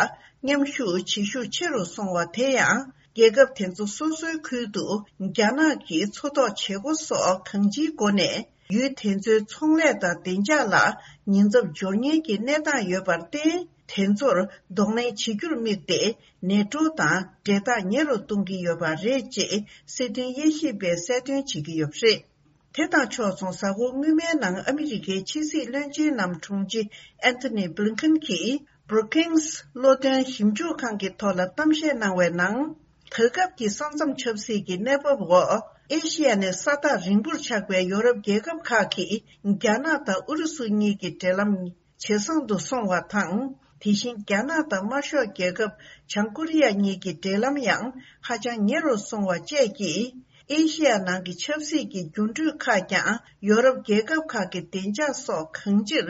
མཉམ་ཞུགས་བྱེད་ཤུགས་ཆེ་རུ་སོང་བ་དེ་ཡང་། རྒྱལ་ཁབ་དེ་ཚོ་སོ་སོའི་ཁུལ་དུ་རྒྱ་ནག་གི་མཚོ་ཐོག་བྱེད་སྒོ་སོགས་གང་ཅིའི་སྒོ་ནས། ཡུལ་དེ་ཚོའི་ཚོང་ལས་དང་བདེ་འཇགས་ལ་ཉེན་ཚབས་འབྱོར་ཉེན་གྱི་གནས་སྟངས་ཡོད་པར་བརྟེན། དེ་ཚོར་གདོང་ལེན་བྱེད་རྒྱུར་དམིགས་ཏེ། ནེ་ཊོ་དང་འབྲེལ་ཐག་ཉེ་རུ་གཏོང་གི་ཡོད་པ་རེད་ཅེས་སྲིད་དོན་དབྱེ་ཞིབ་པས་གསལ་སྟོན་བྱེད་ཀྱི་ཡོད་པ་རེད། དེ་དང་ཕྱོགས་མཚུངས། གཟའ་འཁོར་སྔོན་མའི་ནང་ཨ་མི་རི་ཀའི་ཕྱི་སྲིད་བློན་ཆེན་ནམ་དྲུང་ཆེ་ཨན་ཐོ་ནི་བྷི་ལིན་ཁན་གྱིས་Brookings་བློ་འདོན་ཞིབ་འཇུག་ཁང་གི་ཐོག་ལ་གཏམ་བཤད་གནང་བའི་ནང་། ད་སྐབས་ཀྱི་ས་མཚམས་ཆབ་སྲིད་ཀྱི་གནས་བབ་འོག་ཨེ་ཤི་ཡ་ནས་ས་ཐག་རིང་པོར་ཆགས་པའི་ཡོ་རོབ་རྒྱལ་ཁབ་ཁག་གིས་རྒྱ་ནག་དང་ཨུ་རུ་སུ་གཉིས་ཀྱི་འབྲེལ་ལམ་ཇེ་བཟང་དུ་སོང་བ་དང་། དེ་བཞིན་རྒྱ་ནག་དང་དམར་ཤོག་རྒྱལ་ཁབ་བྱང་ཀོ་རི་ཡ་གཉིས་ཀྱི་འབྲེལ་ལམ་ཡང་ཧ་ཅང་ཉེ་རུ་སོང་བ་བཅས་ཀྱིས། ཨེ་ཤི་ཡ་ནང་གི་ཆབ་སྲིད་ཀྱི་འགྱུར་འགྲོས་ཁག་ཀྱང་ཡོ་རོབ་རྒྱལ་ཁབ་ཁག་གི་བདེ་འཇགས་སོགས་གང་ཅིར་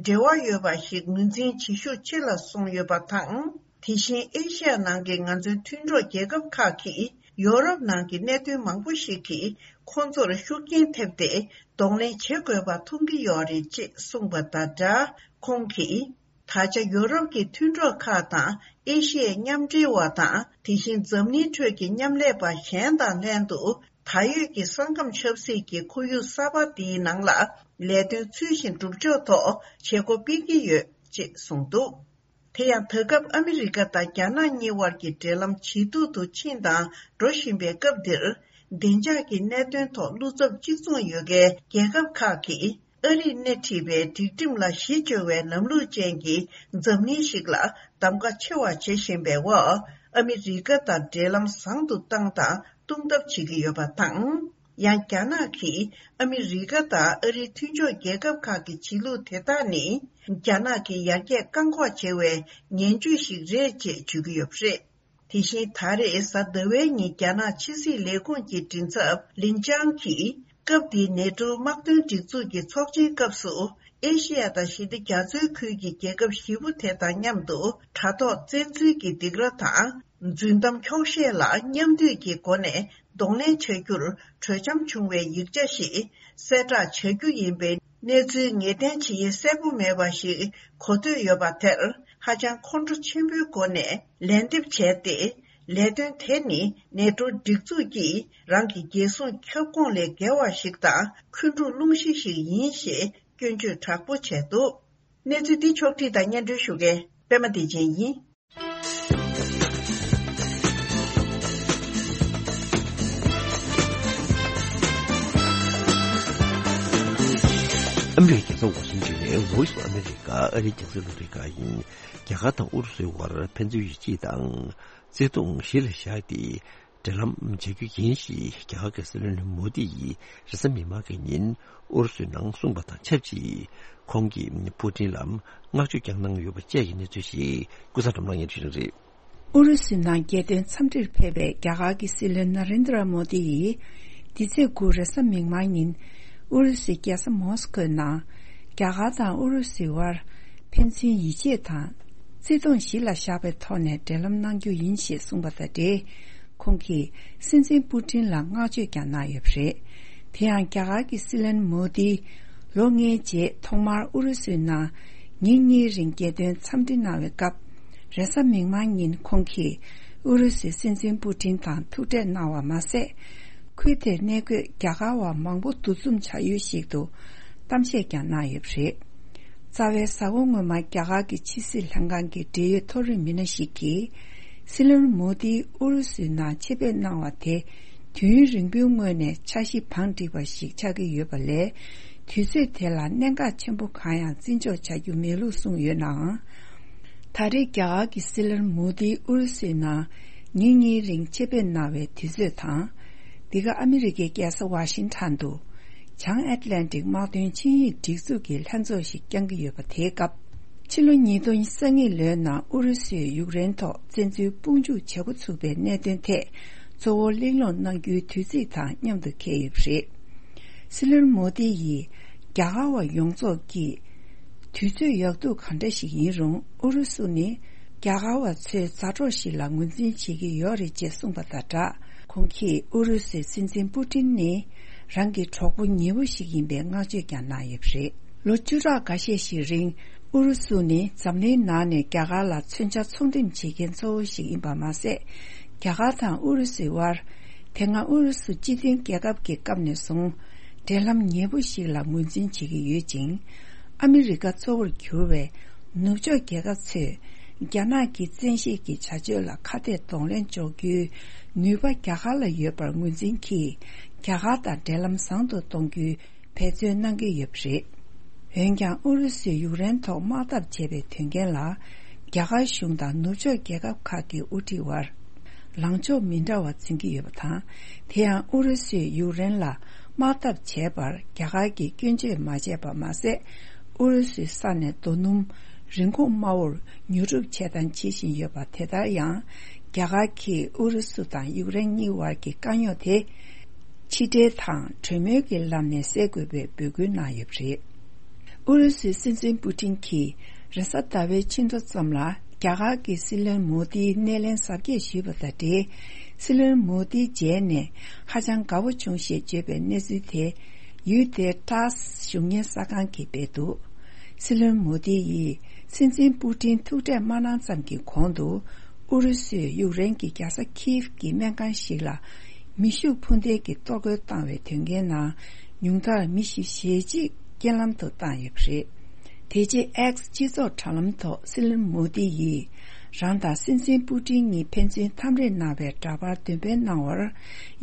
འབྲེལ་བ་ཡོད་པ་ཞིག་ངོས་འཛིན་བྱེད་ཤུགས་ཆེ་ལ་སོང་ཡོད་པ་དང་། དེ་བཞིན་ཨེ་ཤི་ཡ་ནང་གི་ང་ཚོའི་མཐུན་གྲོགས་རྒྱལ་ཁབ་ཁག་གིས་ཡོ་རོབ་ནང་གི་གནད་དོན་མང་པོ་ཞིག་གིས་ཁོང་ཚོར་ཤུགས་རྐྱེན་ཐེབས་ཏེ་གདོང་ལེན་བྱེད་དགོས་པ་མཐོང་གི་ཡོད་རེད་ཅེས་གསུངས་པ་དང་སྦྲགས། ཁོང་གིས། ད་ཆ་ཡོ་རོབ་ཀྱི་མཐུན་གྲོགས་ཁག་དང་ཨེ་ཤི་ཡའི་མཉམ་འབྲེལ་བ་དང་། དེ་བཞིན་འཛམ་གླིང་ཁྲོད་ཀྱི་མཉམ་ལས་པ་གཞན་དང་ལྷན་དུ། ད་ཡོད་ཀྱི་ས་ཁམས་ཆབ་སྲིད་ཀྱི་ཁོར་ཡུག་གསར་པ་འདིའི་ནང་ལ་ལས་དོན་ཚུལ་བཞིན་སྒྲུབ་ཕྱོགས་ཐོག་བྱེད་སྒོ་སྤེལ་གྱི་ཡོད་ཅེས་གསུངས་འདུག། དེ་ཡང་ད་སྐབས་ཨ་མི་རི་ཀ་དང་རྒྱ་ནག་གཉིས་དབར་གྱི་འབྲེལ་ལམ་ཇེ་སྡུག་ཏུ་ཕྱིན་དང་འགྲོ་བཞིན་པའི་སྐབས་འདིར། བདེ་འཇགས་ཀྱི་གནད་དོན་ཐོག་བློ་འཚབ་གཅིག་མཚུངས་ཡོད་མཁན་རྒྱལ་ཁབ་ཁག་གིས། ཨ་རིས་སྣེ་ཁྲིད་པའི་སྒྲིག་ཁྲིམས་ལ་གཞི་བཅོལ་བའི་ལམ་ལུགས་ཅན་གྱི་འཛམ་གླིང་ཞིག་ལ་གདམ་ག་ཆེ་བ་བྱེད་བཞིན་པའི་འོག་ཨ་མི་རི་ཀ་དང་འབྲེལ་ལམ་བཟང་དུ་བཏང་དང་གཏོང་ཐབས་བྱེད་ཀྱི་ཡོད་པ་དང་། ཡང་རྒྱ་ནག་གིས་ཨ་མི་རི་ཀ་དང་ཨ་རིའི་མཐུན་ཕྱོགས་རྒྱལ་ཁབ་ཁག་གི་བྱེད་ལུགས་དེ་དག་ནི། རྒྱ་ནག་གི་ཡར་རྒྱས་བཀག་འགོག་བྱེད་པའི་ངན་ཇུས་ཤིག་རེད་ཅེས་བརྗོད་ཀྱི་ཡོད་པ་རེད། དེ་བཞིན་ད་རེས་གཟའ་ཟླ་བའི་ཉིན་རྒྱ་ནག་ཕྱི་སྲིད་ལས་ཁུངས་ཀྱི་མགྲིན་ཚབ་ལིན་ཅང་གིས། སྐབས་འདིའི་ནེ་ཊོའི་དམག་དོན་སྒྲིག་འཛུགས་ཀྱི་ཚོགས་ཆེན་སྐབས་སུ། ཨེ་ཤེ་ཡ་དང་ཞི་བདེ་རྒྱ་མཚོའི་ཁུལ་གྱི་རྒྱལ་ཁབ་བཞི་པོ་དེ་དང་མཉམ་དུ། དྲ་ཐོག་བཙན་འཛུལ་གྱི་སྡིགས་ར་དང་། རྫུན་གཏམ་འཁྱོག་བཤད་ལ་མཉམ་འདུས་ཀྱི་སྒོ་ནས་གདོང་ལེན་བྱ་རྒྱུར་གྲོས་འཆམ་བྱུང་བའི་ཡིག་ཆ་ཞིག་གསལ་བསྒྲགས་བྱ་རྒྱུ་ཡིན་པའི་གནས་ཚུལ་ངེས་གཏན་ཇི་ཡིན་གསལ་པོ་མེད་པ་ཞིག་གོ་ཐོས་ཡོད་པ་དེར། ཧ་ཅང་ཁོང་ཁྲོ་ཆེན་པོའི་སྒོ་ནས་ལན་འདེབས་བྱས་ཏེ། ལས་དོན་དེ་ནི་ནེ་ཏྲོ་སྒྲིག་འཛུགས་ཀྱིས་རང་གི་རྒྱལ་སྲུང་ཁྱབ་ཁོངས་ལས་བརྒལ་བ་ཞིག་དང་འཁོན་འཁྲུག་སློང་གཞི་ཞིག་ཡིན་ཞེས་སྐྱོན་བརྗོད་དྲག་པོ་བྱས་འདུག་གནས་ཚུལ་འདི་ཕྱོགས་བསྒྲིགས་དང་སྙན་སྒྲོན་ཞུ་མཁན་པད་མ་བདེ་ཆེན་ཡིན། ཨ་མི་རི་ཀའི་རྒྱལ་ས་ཝ་ཤིང་ཊོན་ནས་Voice of America ཨ་རིའི་རྒྱང་སྲིང་རླུང་འཕྲིན་ཁང་ཡིན། རྒྱ་གར་དང་ཨུ་རུ་སུའི་དབར་ཕན་ཚུན་ཡིད་ཆེས་དང་། བརྩེ་དུང་གཞི་ལ་བཞག་སྟེ། འབྲེལ་ལམ་བྱ་རྒྱུ་ཡིན་ཞེས་རྒྱ་གར་གྱི་སྲིད་བློན་མོ་དི་ཡིས་རེས་གཟའ་མིག་དམར་གྱི་ཉིན་ཨུ་རུ་སུའི་ནང་གསུངས་པ་དང་ཆབས་ཅིག་ཁོང་གིས་པུ་ཏིན་ལ་བསྔགས་བརྗོད་ཀྱང་གནང་ཡོད་པ་བཅས་ཀྱི་གནས་ཚུལ་ཞིག་ཀུན་བཟང་སྒྲོལ་མ་ལགས་སྙན་སྒྲོན་ཞུ་གི་རེད། ཨུ་རུ་སུའི་ནང་རྒྱལ་དོན་འཚམས་འདྲིར་ཕེབས་པའི་རྒྱ་གར་གྱི་སྲིད་བློན་ན་རེན་དྲ་མོ་དི་ཡིས། འདི་ཚེས་དགུ་རེས་གཟའ་མིག་དམར་ཉིན། ཨུ་རུ་སུའི་རྒྱལ་ས་མོ་སི་ཁོའི་ནང་། རྒྱ་གར་དང་ཨུ་རུ་སུའི་དབར། ཕན་ཚུན་ཡིད་ཆེས་དང་། བརྩེ་དུང་གཞི་ལ་བཞག་པའི་ཐོག་ནས་འབྲེལ་ལམ་གནང་རྒྱུ་ཡིན་ཞེས་གསུངས་པ་དང་འབྲེལ། ཁོང་གིས་སྲིད་འཛིན་པུ་ཏིན་ལ་བསྔགས་བརྗོད་ཀྱང་གནང་ཡོད་པ་རེད། དེ་ཡང་རྒྱ་གར་གྱི་སྲིད་བློན་མོ་དི། ལོ་ལྔའི་རྗེས་ཐོག་མར་ཨུ་རུ་སུའི་ནང་། ཉིན་གཉིས་རིང་རྒྱལ་དོན་འཚམས་འདྲི་གནང་བའི་སྐབས། རེས་གཟའ་མིག་དམར་ཉིན་ཁོང་གིས་ཨུ་རུ་སུའི་སྲིད་འཛིན་པུ་ཏིན་དང་ཐུག་འཕྲད་གནང་བ་མ་ཟད། ཁུལ་དེར་གནས་འཁོད་རྒྱ་གར་བ་མང་པོ་འདུ་འཛོམས་བྱ་ཡུལ་ཞིག་ཏུ་གཏམ་བཤད་ཀྱང་གནང་ཡོད་པ་རེད། རྩ་བའི་གཟའ་འཁོར་སྔོན་མ་རྒྱ་གར་གྱི་ཕྱི་སྲིད་ལྷན་ཁང་གི་འབྲེལ་ཡོད་མཐོ་རིམ་མི་སྣ་ཞིག་གིས། སྲིད་བློན་མོ་དིས་ཨུ་རུ་སུའི་ནང་ཆེད་ཕེབས་གནང་བ་དེ། དུས་ཡུན་རིང་པོའི་སྔོན་ནས་འཆར་གཞི་བང་བསྒྲིགས་པ་ཞིག་ཆགས་ཀྱི་ཡོད་པ་ལས། དུས་ཚོད་དེ་ལ་གནད་འགག་ཆེན་པོ་གང་ཡང་བརྩི་འཇོག་བྱ་རྒྱུ་མེད་ལུགས་གསུངས་ཡོད་ནའང་། ད་རེས་རྒྱ་གར་གྱི་སྲིད་བློན་མོ་དིས་ཨུ་རུ་སུའི་ནང་ཉིན་གཉིས་རིང་ཆེད་ཕེབས་གནང་བའི་དུས་ཚོད་དང་། འདི་ག་ཨ་མི་རི་ཀའི་རྒྱལ་ས་ཝ་ཤིང་ཊོན་དུ། བྱང་ཨེཊ་ལན་ཊིག་དམག་དོན་ཆིངས་ཡིག་སྒྲིག་འཛུགས་ཀྱི་ལྷན་ཚོགས་ཤིག་བསྐྱང་གི་ཡོད་པ་དེའི་སྐབས། ཕྱི་ལོ་ཉིས་སྟོང་ཉེར་གཉིས་ལོའི་ནང་ཨུ་རུ་སུས་ཡུཀ་རེན་ཐོག་བཙན་འཛུལ་དཔུང་འཇུག་བྱེད་འགོ་ཚུགས་པའི་གནད་དོན་ཐད་གཙོ་བོ་གླེང་སློང་གནང་རྒྱུའི་དུས་ཚིགས་དང་མཉམ་དུ་འཁེལ་ཡོད་པ་རེད། སྲིད་བློན་མོ་དི་ཡིས་རྒྱ་གར་བ་ཡོངས་རྫོགས་ཀྱིས་དུས་ཚོད་ཡག་སྡུག་གང་འདྲ་ཞིག་ཡིན་རུང་ཨུ་རུ་སུ་ནི་རྒྱ་གར་བ་ཚོའི་མཛའ་གྲོགས་ཤིག་ལ་ངོས་འཛིན་བྱེད་ཀྱི་ཡོད་རེད་ཅེས་གསུངས་པ་དང་སྦྲགས། ཁོང་གིས་ཨུ་རུ་སུའི་སྲིད་འཛིན་པུ་ཏིན་ནི་རང་གི་གྲོགས་པོ་ཉེ་བོ་ཞིག་ཡིན་པའི་བསྔགས་བརྗོད་ཀྱང་གནང་ཡོད་པ་རེད། ལོ་བཅུ་ཕྲག་འགའ་ཤས་ཤིག་རིང་ཨུ་རུ་སུ་ནི་འཛམ་གླིང་ནང་ནས་རྒྱ་གར་ལ་མཚོན་ཆ་ཚོང་འགྲེམས་བྱེད་མཁན་གཙོ་བོ་ཞིག་ཡིན་པ་མ་ཟད། རྒྱ་གར་དང་ཨུ་རུ་སུའི་དབར། དེ་སྔ་ཨུ་རུ་སུ་སྤྱི་མཐུན་རྒྱལ་ཁབ་ཀྱི་སྐབས་ནས་བཟུང་། འབྲེལ་ལམ་ཉེ་པོ་ཞིག་ལ་ངོས་འཛིན་བྱེད་ཀྱི་ཡོད་ཅིང་། ཨ་མི་རི་ཀ་གཙོ་བོར་གྱུར་བའི་ནུབ་ཕྱོགས་རྒྱལ་ཁབ་ཚོས་རྒྱ་ནག་གི་བཙན་ཤེད་ཀྱི་བྱ་སྤྱོད་ལ་ཁ་གཏད་གདོང་ལེན་འཇོག་རྒྱུའི་ནུས་པ་རྒྱ་གར་ལ་ཡོད་པར་ངོས་འཛིན་གྱིས། རྒྱ་གར་དང་འབྲེལ་ལམ་བཟང་དུ་གཏོང་རྒྱུའི་འབད་བརྩོན་གནང་གི་ཡོད་པ་རེད། འོན་ཀྱང་ཨུ་རུ་སུས་ཡུཀ་རེན་ཐོག་དམག་འཐབ་བྱས་པའི་དོན་རྐྱེན་ལ། རྒྱ་གར་གཞུང་དང་ནུབ་ཕྱོགས་རྒྱལ་ཁབ་ཁག་གི་དབུ་ཁྲིད་དབར། ལངས་ཕྱོགས་མི་འདྲ་བ་འཛིན་གྱི་ཡོད་པ་དང་། དེ་ཡང་ཨུ་རུ་སུས་ཡུཀ་རེན་ལ་དམག་འཐབ་བྱས་པར་རྒྱ་གར་གྱིས་སྐྱོན་བརྗོད་མ་བྱས་པ་མ་ཟད། ཨུ་རུ་སུའི་ས་ནས་རྡོ་སྣུམ་རིན་གོང་དམའ་བོར་ཉོ་སྒྲུབ་བྱས་དང་བྱེད་བཞིན་ཡོད་པ། དེ་ལྟར་ཡང་རྒྱ་གར་གྱིས་ཨུ་རུ་སུ་དང་ཡུཀ་རེན་གཉིས་བར་གྱི་དཀའ་རྙོག་དེ། ཕྱི་འབྲེལ་དང་གྲོས་མོལ་གྱི་ལམ་ནས་སེལ་དགོས་པའི་འབོད་སྐུལ་གནང་ཡོད་པ་རེད། ཨུ་རུ་སུའི་སྲིད་འཛིན་པུ་ཏིན་གྱིས་རེས་གཟའ་ཟླ་བའི་ཕྱི་དྲོ་ཙམ་ལ་རྒྱ་གར་གྱི་སྲིད་བློན་མོ་དིའི་སྣེ་ལེན་གཟབ་རྒྱས་ཞུས་པ་དང་འབྲེལ། སྲིད་བློན་མོ་དིའི་མཇལ་ནས་ཧ་ཅང་དགའ་པོ་བྱུང་ཞེས་བརྗོད་པའི་གནས་ཚུལ་དེ་ཡུལ་དེའི་ཊཱས་བཞུགས་གཉེར་གསར་ཁང་གིས་སྤེལ་འདུག་སྲིད་བློན་མོ་དི་ཡིས་སྲིད་འཛིན་པུ་ཏིན་ཐུག་འཕྲད་མ་གནང་ཙམ་གྱི་གོང་དུ། ཨུ་རུ་སུས་ཡུཀ་རེན་གྱི་རྒྱལ་ས་ཁིའིབ་ཀྱི་སྨན་ཁང་ཞིག་ལ་མེ་ཤུགས་འཕུར་མདེལ་གྱིས་གཏོར་རྒོལ་བཏང་བའི་དོན་རྐྱེན་ནང་ཉུང་མཐར་མི་བཞི་ཞེ་གཅིག་རྐྱེན་ལམ་དུ་བཏང་ཡོད་པ་རེད། དེ་རྗེས་ཨེགས་སྤྱི་ཚོགས་དྲ་ལམ་ཐོག་སྲིད་བློན་མོ་དི་ཡིས་རང་དང་སྲིད་འཛིན་པུ་ཏིན་གཉིས་ཕན་ཚུན་འཐམ་རེས་གནང་བའི་འདྲ་པར་འདོན་སྤེལ་གནང་བར།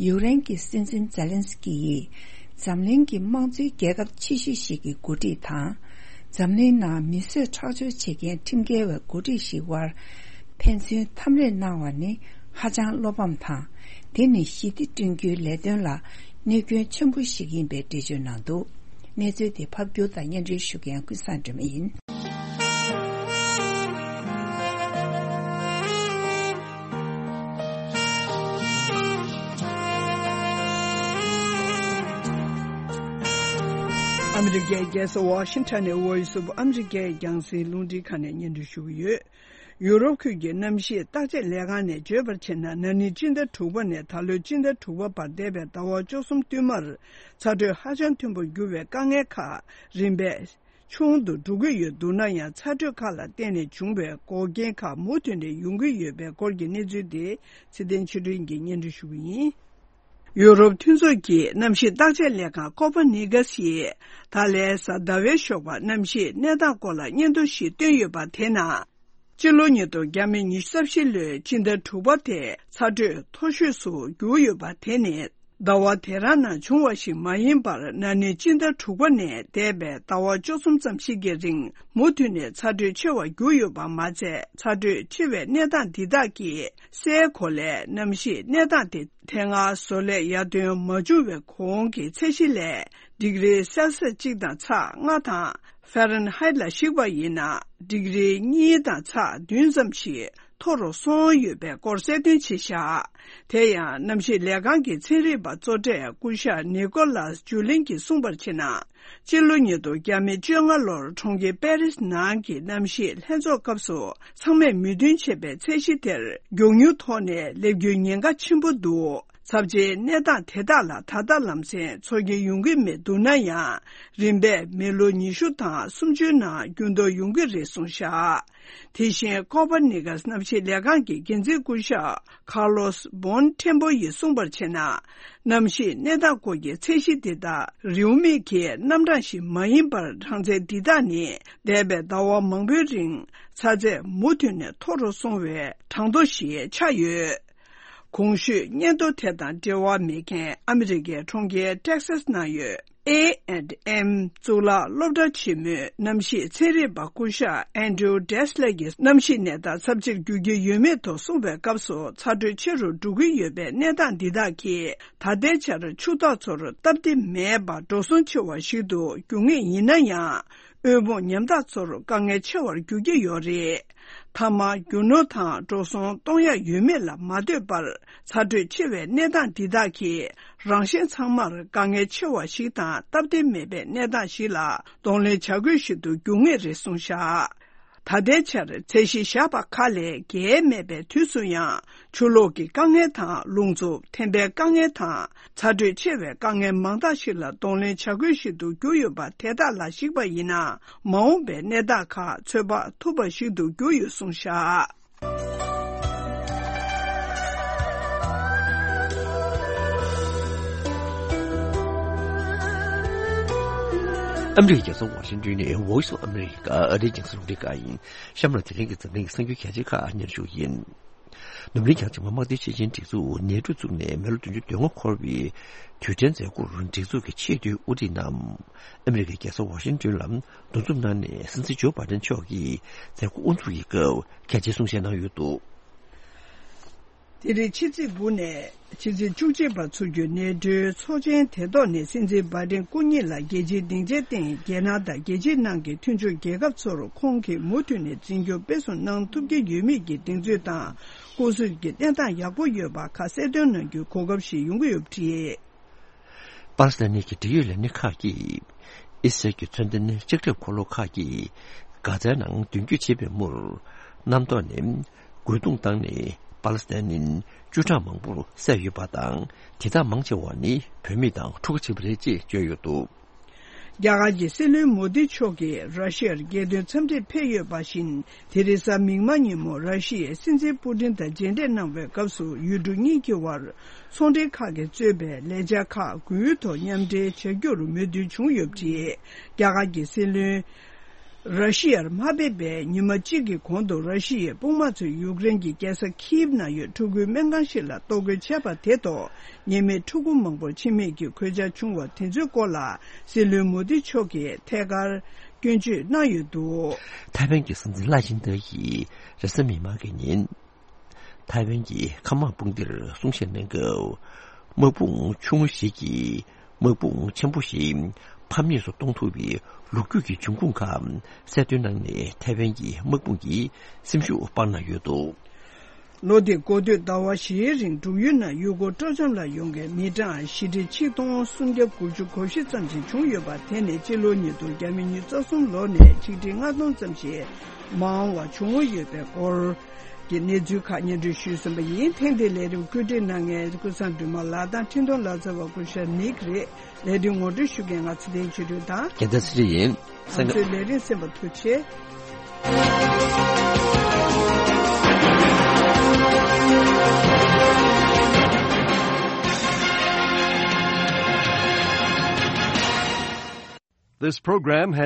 ཡུཀ་རེན་གྱི་སྲིད་འཛིན་ཛེ་ལན་སི་ཀི་ཡིས། འཛམ་གླིང་གི་དམངས་གཙོའི་རྒྱལ་ཁབ་ཆེ་ཤོས་ཤིག་གི་འགོ་ཁྲིད་དང་། འཛམ་གླིང་ནང་མི་གསོད་ཁྲག་སྦྱོར་བྱེད་མཁན་ཁྲིམས་འགལ་བའི་འགོ་ཁྲིད་ཞིག་དབར་ཕན་ཚུན་འཐམ་རེས་གནང་བ་ནི་ཧ་ཅང་བློ་ཕམ་དང་། དེ་ནི་ཞི་བདེ་བསྐྲུན་རྒྱུའི་ལས་དོན་ལ་གནོད་སྐྱོན་ཆེན་པོ་ཞིག་ཡིན་པའི་འགྲེལ་བརྗོད་གནང་འདུག་གནས་ཚུལ་དེ་ཕབ་སྒྱུར་དང་སྙན་སྒྲོན་ཞུ་མཁན་ཀུན་བཟང་སྒྲོལ་མ་ཡིན། ཨ་མི་རི་ཀའི་རྒྱལ་ས་ཝ་ཤིང་ཊོན་ནས་Voice of America རྒྱང་སྲིང་རླུང་འཕྲིན་ཁང་ནས་སྙན་སྒྲོན་ཞུ་གི་ཡོད། ཡུ་རོབ་ཁུལ་གྱི་གནམ་གཤིས་བརྟག་དཔྱད་ལས་ཁང་ནས་བརྗོད་པར་བྱས་ན། ན་ནིང་སྤྱི་ཟླ་དྲུག་པ་ནས་ད་ལོའི་སྤྱི་ཟླ་དྲུག་པ་བར་འདས་པའི་ཟླ་བ་བཅུ་གསུམ་བསྟུད་མར་ཚ་དྲོད་ཧ་ཅང་མཐོན་པོར་གྱུར་བའི་དཀའ་ངལ་ཁག་རིམ་པས་ ཆུང་དུ་འགྲོ་གི་ཡོད་འདུག་ན་ཡང་། ཚ་དྲོད་ཁག་ལ་བརྟེན་ནས་བྱུང་བའི་འགོག་རྐྱེན་ཁག་མུ་མཐུད་ནས་ཡོང་གི་ཡོད་པའི་སྐོར་གྱི་གནས་ཚུལ་དེ་ཚེ་བརྟན་ཆོས་སྒྲོན་གྱིས་སྙན་སྒྲོན་ཞུ་གི་ཡིན། ཡུ་རོབ་མཐུན་ཚོགས་ཀྱི་གནམ་གཤིས་བརྟག་དཔྱད་ལས་ཁང་ཀོ་པ་ནི་ཀ་སི་ཡིས་ད་ལན་གཟའ་ཟླ་བའི་ཞོགས་པར་གནམ་གཤིས་གནས་སྟངས་སྐོར་ལ་སྙན་ཐོ་ཞིག་བཏོན་ཡོད་པ་དེ་ནང་། སྤྱི་ལོ་ཉིས་སྟོང་ཉི་ཤུ་རྩ་བཞི་ལོའི་སྤྱི་ཟླ་དྲུག་པ་དེ་ཚ་དྲོད་མཐོ་ཤོས་སུ་གྱུར་ཡོད་པ་དེ་ནི། ཟླ་བ་དེ་རང་ནང་བྱུང་བ་ཞིག་མ་ཡིན་པར། ན་ནིང་སྤྱི་ཟླ་དྲུག་པ་ནས་འདས་པའི་ཟླ་བ་བཅུ་གསུམ་ཙམ་ཞིག་གི་རིང་མུ་མཐུད་ནས་ཚ་དྲོད་ཆེ་བར་གྱུར་ཡོད་པ་མ་ཚད། ཚ་དྲོད་ཆེ་བའི་གནས་སྟངས་འདི་དག་གིས་སའི་གོ་ལའི་གནམ་གཤིས་གནས་སྟངས་དེ་དེ་སྔ་བཟོ་ལས་ཡར་ཐོན་མ་བྱུང་བའི་གོང་གི་ཚད་གཞི་ལས་ཌིག་རི་སེལ་སི་གཅིག་དང་ཚེག་ལྔ་དང་། ཧྥ་རན་ཧའེ་ལ་གཞིགས་པ་ཡིན་ན། ཌིག་རི་གཉིས་དང་ཚེག་བདུན་ཙམ་ཞིག་མཐོ་རུ་སོང་ཡོད་པའི་སྐོར་གསལ་སྟོན་བྱས་བཞག་དེ་ཡང་གནམ་གཤིས་ལས་ཁང་གི་ཚན་རིག་པ་གཙོ་གྲས་སྐུ་ཞབས་ནི་ཀོ་ལཱས་ཇུ་ལིན་གྱིས་གསུངས་པར་བྱས་ན། སྤྱི་ལོ་ཉིས་སྟོང་བཅོ་ལྔ་ལོར་གྲོང་ཁྱེར་པེ་རིས་ནང་གི་གནམ་གཤིས་ལྷན་ཚོགས་སྐབས་སུ་ཚང་མས་མོས་མཐུན་བྱས་པའི་ཚད་གཞི་དེར་མགྱོགས་མྱུར་ཐོག་ནས་སླེབས་རྒྱུའི་ཉེན་ཁ་ཆེན་པོ་འདུག་ཚབས་ཆེའི་གནས་སྟངས་དེ་དག་ལ་ད་ལྟ་ལམ་སེང་ཚོར་གྱི་ཡོང་གི་མི་འདུག་ན་ཡང་། རིམ་པས་མི་ལོ་ཉི་ཤུ་དང་སུམ་ཅུའི་ནང་འགྱུར་ལྡོག་ཡོང་གི་རེད་གསུངས་བཞག་དེ་བཞིན་ཀོ་པར་ནི་ཀཱས་གནམ་གཤིས་ལས་ཁང་གི་འགན་འཛིན་སྐུ་ཞབས་ཁར་ལོས་བོན་ཁྲེན་པོ་ཡིས་གསུངས་པར་བྱས་ན། གནམ་གཤིས་གནས་སྟངས་སྐོར་གྱི་ཚད་གཞི་འདི་དག་རེའུ་མིག་གི་རྣམ་གྲངས་ཤིག་མ་ཡིན་པར། གྲངས་ཚད་འདི་དག་ནི་འདས་པའི་ཟླ་བ་མང་པོའི་རིང་ཚ་ཚད་མུ་མཐུད་ནས་མཐོ་རུ་སོང་བའི་གྲངས་ཐོ་ཞིག་ཆགས་ཡོད། གོང་ཞུས་སྙན་ཐོ་དེ་དང་འབྲེལ་བ་མེད་མཁན་ཨ་མི་རི་ཀའི་གྲོང་ཁྱེར་ཊེག་སཱས་ནང་ཡོད། ཨེ་ཨེན་ཨེམ་གཙུག་ལག་སློབ་གྲྭ་ཆེན་མོའི་གནམ་གཤིས་ཚན་རིག་པ་སྐུ་ཞབས་ཨན་ཌྲུ་ཌེ་སི་ལེ་གྱིས། གནམ་གཤིས་གནས་སྟངས་ཚབས་ཆེར་འགྱུར་གྱི་ཡོད་མེད་ཐོག་གསུངས་པའི་སྐབས་སུ། ཚ་དྲོད་ཆེ་རུ་འགྲོ་གི་ཡོད་པའི་གནས་སྟངས་འདི་དག་གིས་ད་ལྟའི་ཆར་ཕྱུག་བདག་ཚོར་སྟབས་བདེ་མེད་པ་འགྲོ་སོང་ཆེ་བ་ཞིག་ཏུ་འགྱུར་ངེས་ཡིན་ན་ཡང་། དབུལ་ཕོངས་ཉམ་ཐག་ཚོར་དཀའ་ངལ་ཆེ་བར་འགྱུར་གྱི་ཡོད་རེད། མཐའ་མ་རྒྱུ་ནོར་དང་འགྲོ་སོང་གཏོང་ཡ་ཡོད་མེད་ལ་མ་ལྟོས་པར། ཚ་དྲོད་ཆེ་བའི་གནས་སྟངས་འདི་དག་གིས་རང་གཞན་ཚང་མར་དཀའ་ངལ་ཆེ་བ་ཞིག་དང་སྟབས་བདེ་མེད་པའི་གནས་སྟངས་ཤིག་ལ་གདོང་ལེན་བྱ་དགོས་ཤིག་ཏུ་འགྱུར་ངེས་རེད་གསུངས་བཞག་ད་ལྟའི་ཆར་ཚད་གཞི་བཞག་པ་ཁག་ལས་བརྒལ་མེད་པའི་དུས་སུ་ཡང་། ཆུ་ལོག་གི་དཀའ་ངལ་དང་། རླུང་འཚུབ་ཐན་པའི་དཀའ་ངལ་དང་། ཚ་དྲོད་ཆེ་བའི་དཀའ་ངལ་མང་དག་ཞིག་ལ་གདོང་ལེན་བྱ་དགོས་ཤིག་ཏུ་གྱུར་ཡོད་པ་དེ་དག་ལ་གཞིགས་པ་ཡིན་ན། མ་འོངས་པའི་གནས་སྟངས་ཁག་ཚོད་དཔག་ཐུབ་པ་ཞིག་ཏུ་གྱུར་ཡོད་གསུངས་བཞག་ཨ་མི་རི་ཀའི་རྒྱལ་ས་ཝ་ཤིང་ཏོན་ནས་Voice of America ཨ་རིའི་རྒྱང་སྲིང་རླུང་འཕྲིན་ཁང་ཡིན། གཤམ་ལ་དེ་རིང་གི་འཛམ་གླིང་གི་གསར་འགྱུར་གལ་ཆེ་ཁག་སྙན་ཞུ་ཡིན། ནུབ་གླིང་བྱང་ཕྱོགས་དམག་སྡེའི་སྤྱི་ཆིངས་སྒྲིག་འཛུགས་ནེ་ཊོ་བཙུགས་ནས་མི་ལོ་བདུན་ཅུ་དོན་ལྔ་འཁོར་བའི་དུས་དྲན་མཛད་སྒོར་སྒྲིག་འཛུགས་ཀྱི་ཆེས་མཐོའི་དབུ་ཁྲིད་རྣམས་ཨ་མི་རི་ཀའི་རྒྱལ་ས་ཝ་ཤིང་ཏོན་ལ་འདུ་འཛོམས་གནང་ནས། སྲིད་འཛིན་ཇོ་བྷའི་ཌེན་མཆོག་གིས་མཛད་སྒོ་དབུ་འཛུགས་ཀྱི་སྐབས་གལ་ཆེའི་གསུང་བཤད་གནང་ཡོད་འདུག་དེ་རིང་ཕྱི་ཚེས་དགུ་ནས་ཕྱི་ཚེས་བཅུ་གཅིག་བར་ཚུགས་རྒྱུའི་ནེ་ཊོའི་ཚོགས་ཆེན་དེ་ཐོག་ནས་སྲིད་འཛིན་བྷའི་ཌེན་སྐུ་ཉིད་ལ་རྒྱལ་སྤྱིའི་སྡིངས་ཆའི་སྟེང་རྒྱལ་ནང་དང་རྒྱལ་ཕྱི་ནང་གི་མཐུན་ཕྱོགས་རྒྱལ་ཁབ་ཚོར་ཁོང་གིས་མུ་མཐུད་ནས་འཛིན་སྐྱོང་སྤེལ་གསུམ་གནང་ཐུབ་ཀྱི་ཡོད་མེད་ཀྱི་གདེང་ཚོད་དང་། སྐུ་གཟུགས་ཀྱི་གནས་སྟངས་ཡག་པོ་ཡོད་པ་ཁག་གསལ་སྟོན་གནང་རྒྱུའི་གོ་སྐབས་ཤིག་ཡོང་གི་ཡོད་པ་རེད། པ་ལི་སི་ཐན་གྱི་འབྲེལ་ཡོད་ལས་སྣེ་ཁག་གིས་ཨི་སི་རལ་གྱི་མཚོན་ལྡན་ལྕགས་ཁྲབ་འཁོར་ལོ་ཁག་གིས་གྷ་ཛའི་ནང་མདུན་སྐྱོད་བྱེད་པའི་མུར། གནམ་ཐོག་ནས་རྒོལ་རྡུང་བཏང་ནས་པ་ལི་སི་ཐན་མི་བཅུ་ཕྲག་མང་པོར་བསད་ཡོད་པ་དང་། དེ་དག་མང་ཆེ་བ་ནི་བུད་མེད་དང་ཕྲུ་གུ་བྱས་པ་རེད་ཅེས་བརྗོད་ཡོད་འདུག་རྒྱ་གར་གྱི་སྲིད་བློན་མོ་དི་མཆོག་གིས་ར་ཤི་ཡར་རྒྱལ་དོན་འཚམས་འདྲིར་ཕེབས་ཡོད་པ་བཞིན། དེ་རིང་གཟའ་མིག་དམར་ཉིན་མོ་ར་ཤི་ཡའི་སྲིད་འཛིན་པུ་ཏིན་དང་མཇལ་འཕྲད་གནང་བའི་སྐབས་སུ། ཡུལ་གྲུ་གཉིས་ཀྱི་དབར་ཚོང་འབྲེལ་ཁག་གིས་གཙོས་པའི་ལས་འཆར་ཁག་དགུའི་ཐོག་མཉམ་འབྲེལ་བྱ་རྒྱུར་མོས་མཐུན་བྱུང་ཡོད་པ་རེད། རྒྱ་གར་གྱི་སྲིད་བློན་ར་ཤི་ཡར་མ་ཕེབས་པའི་ཉི་མ་གཅིག་གི་གོང་དུ། ར་ཤི་ཡའི་དཔུང་དམག་ཚོས་ཡུཀ་རེན་གྱི་རྒྱལ་ས་ཁིབ་ནང་ཡོད་ཕྲུ་གུའི་སྨན་ཁང་ཞིག་ལ་གཏོར་རྒོལ་བྱས་པ་དེ་ཐོག་ཉེས་མེད་ཕྲུ་གུ་མང་པོ་འཆི་རྨས་ཀྱི་གོད་ཆག་བྱུང་བ་དེ་ཚོའི་སྐོར་ལ་སྲིད་བློན་མོ་དི་མཆོག་གིས་ཐད་ཀར་སྐྱོན་བརྗོད་གནང་ཡོད་འདུག་ཐའེ་ཝན་གྱི་སྲིད་འཛིན་ལའེ་ཆིང་ཏེ་ཡིས་རེས་གཟའ་མིག་དམར་གྱི་ཉིན། ཐའེ་ཝན་གྱི་མཁའ་དམག་དཔུང་སྡེར་གསུང་བཤད་གནང་སྐབས། དམག་དཔུང་ཆུང་ངུ་ཞིག་གིས་དམག་དཔུང་ཆེན་པོ་ཞིག་ཕམ་ཉེས་སུ་གཏོང་ཐུབ་པའི་ལོ་རྒྱུས་ཀྱི་འབྱུང་ཁུངས་ཁག་གསལ་སྟོན་གནང་ནས། ཐའེ་ཝན་གྱི་དམག་དཔུང་གི་སེམས་ཤུགས་སྤར་གནང་ཡོད་འདུག་ལོ་འདིའི་འགོ་སྟོད་ཟླ་བ་བཞིའི་རིང་འབྲུག་ཡུལ་ནང་ཡུལ་སྐོར་སྤྲོ་འཆམ་ལ་ཡོང་མཁན་མི་གྲངས་བཞི་ཁྲི་ཆིག་སྟོང་སུམ་བརྒྱ་དགུ་བཅུ་གོ་བཞི་ཙམ་ཞིག་བྱུང་ཡོད་པ། དེ་ནི་སྤྱི་ལོ་ཉིས་སྟོང་ཉི་ཤུ་རྩ་གསུམ་ལོ་ནས་ཆིག་ཁྲི་ལྔ་སྟོང་ཙམ་ཞིག་མང་བ་བྱུང་ཡོད་པའི་སྐོར་གྱི་གནས་ཚུལ་ཁག་སྙན་སྒྲོན་ཞུས་ཟིན་པ་ཡིན། ཐེངས་འདིའི་ལས་རིམ་བཀོད་སྒྲིག་གནང་མཁན་ཀུན་བཟང་སྒྲོལ་མ་ལགས་དང་འཕྲིན་གཏོང་ལག་རྩལ་བ་སྐུ་ཞབས་ནིག་རེད། ལས་དོན་ངོ་སྤྲོད་ཞུ་མཁན་ང་ཚེ་བརྟན་ཆོས་སྒྲོན་དང་། རྒྱལ་མཚན་ཚེ་རིང་ཡིན། ང་ཚོའི་ལས་རིམ་གསན་པར་ཐུགས་རྗེ་ཆེ། This program has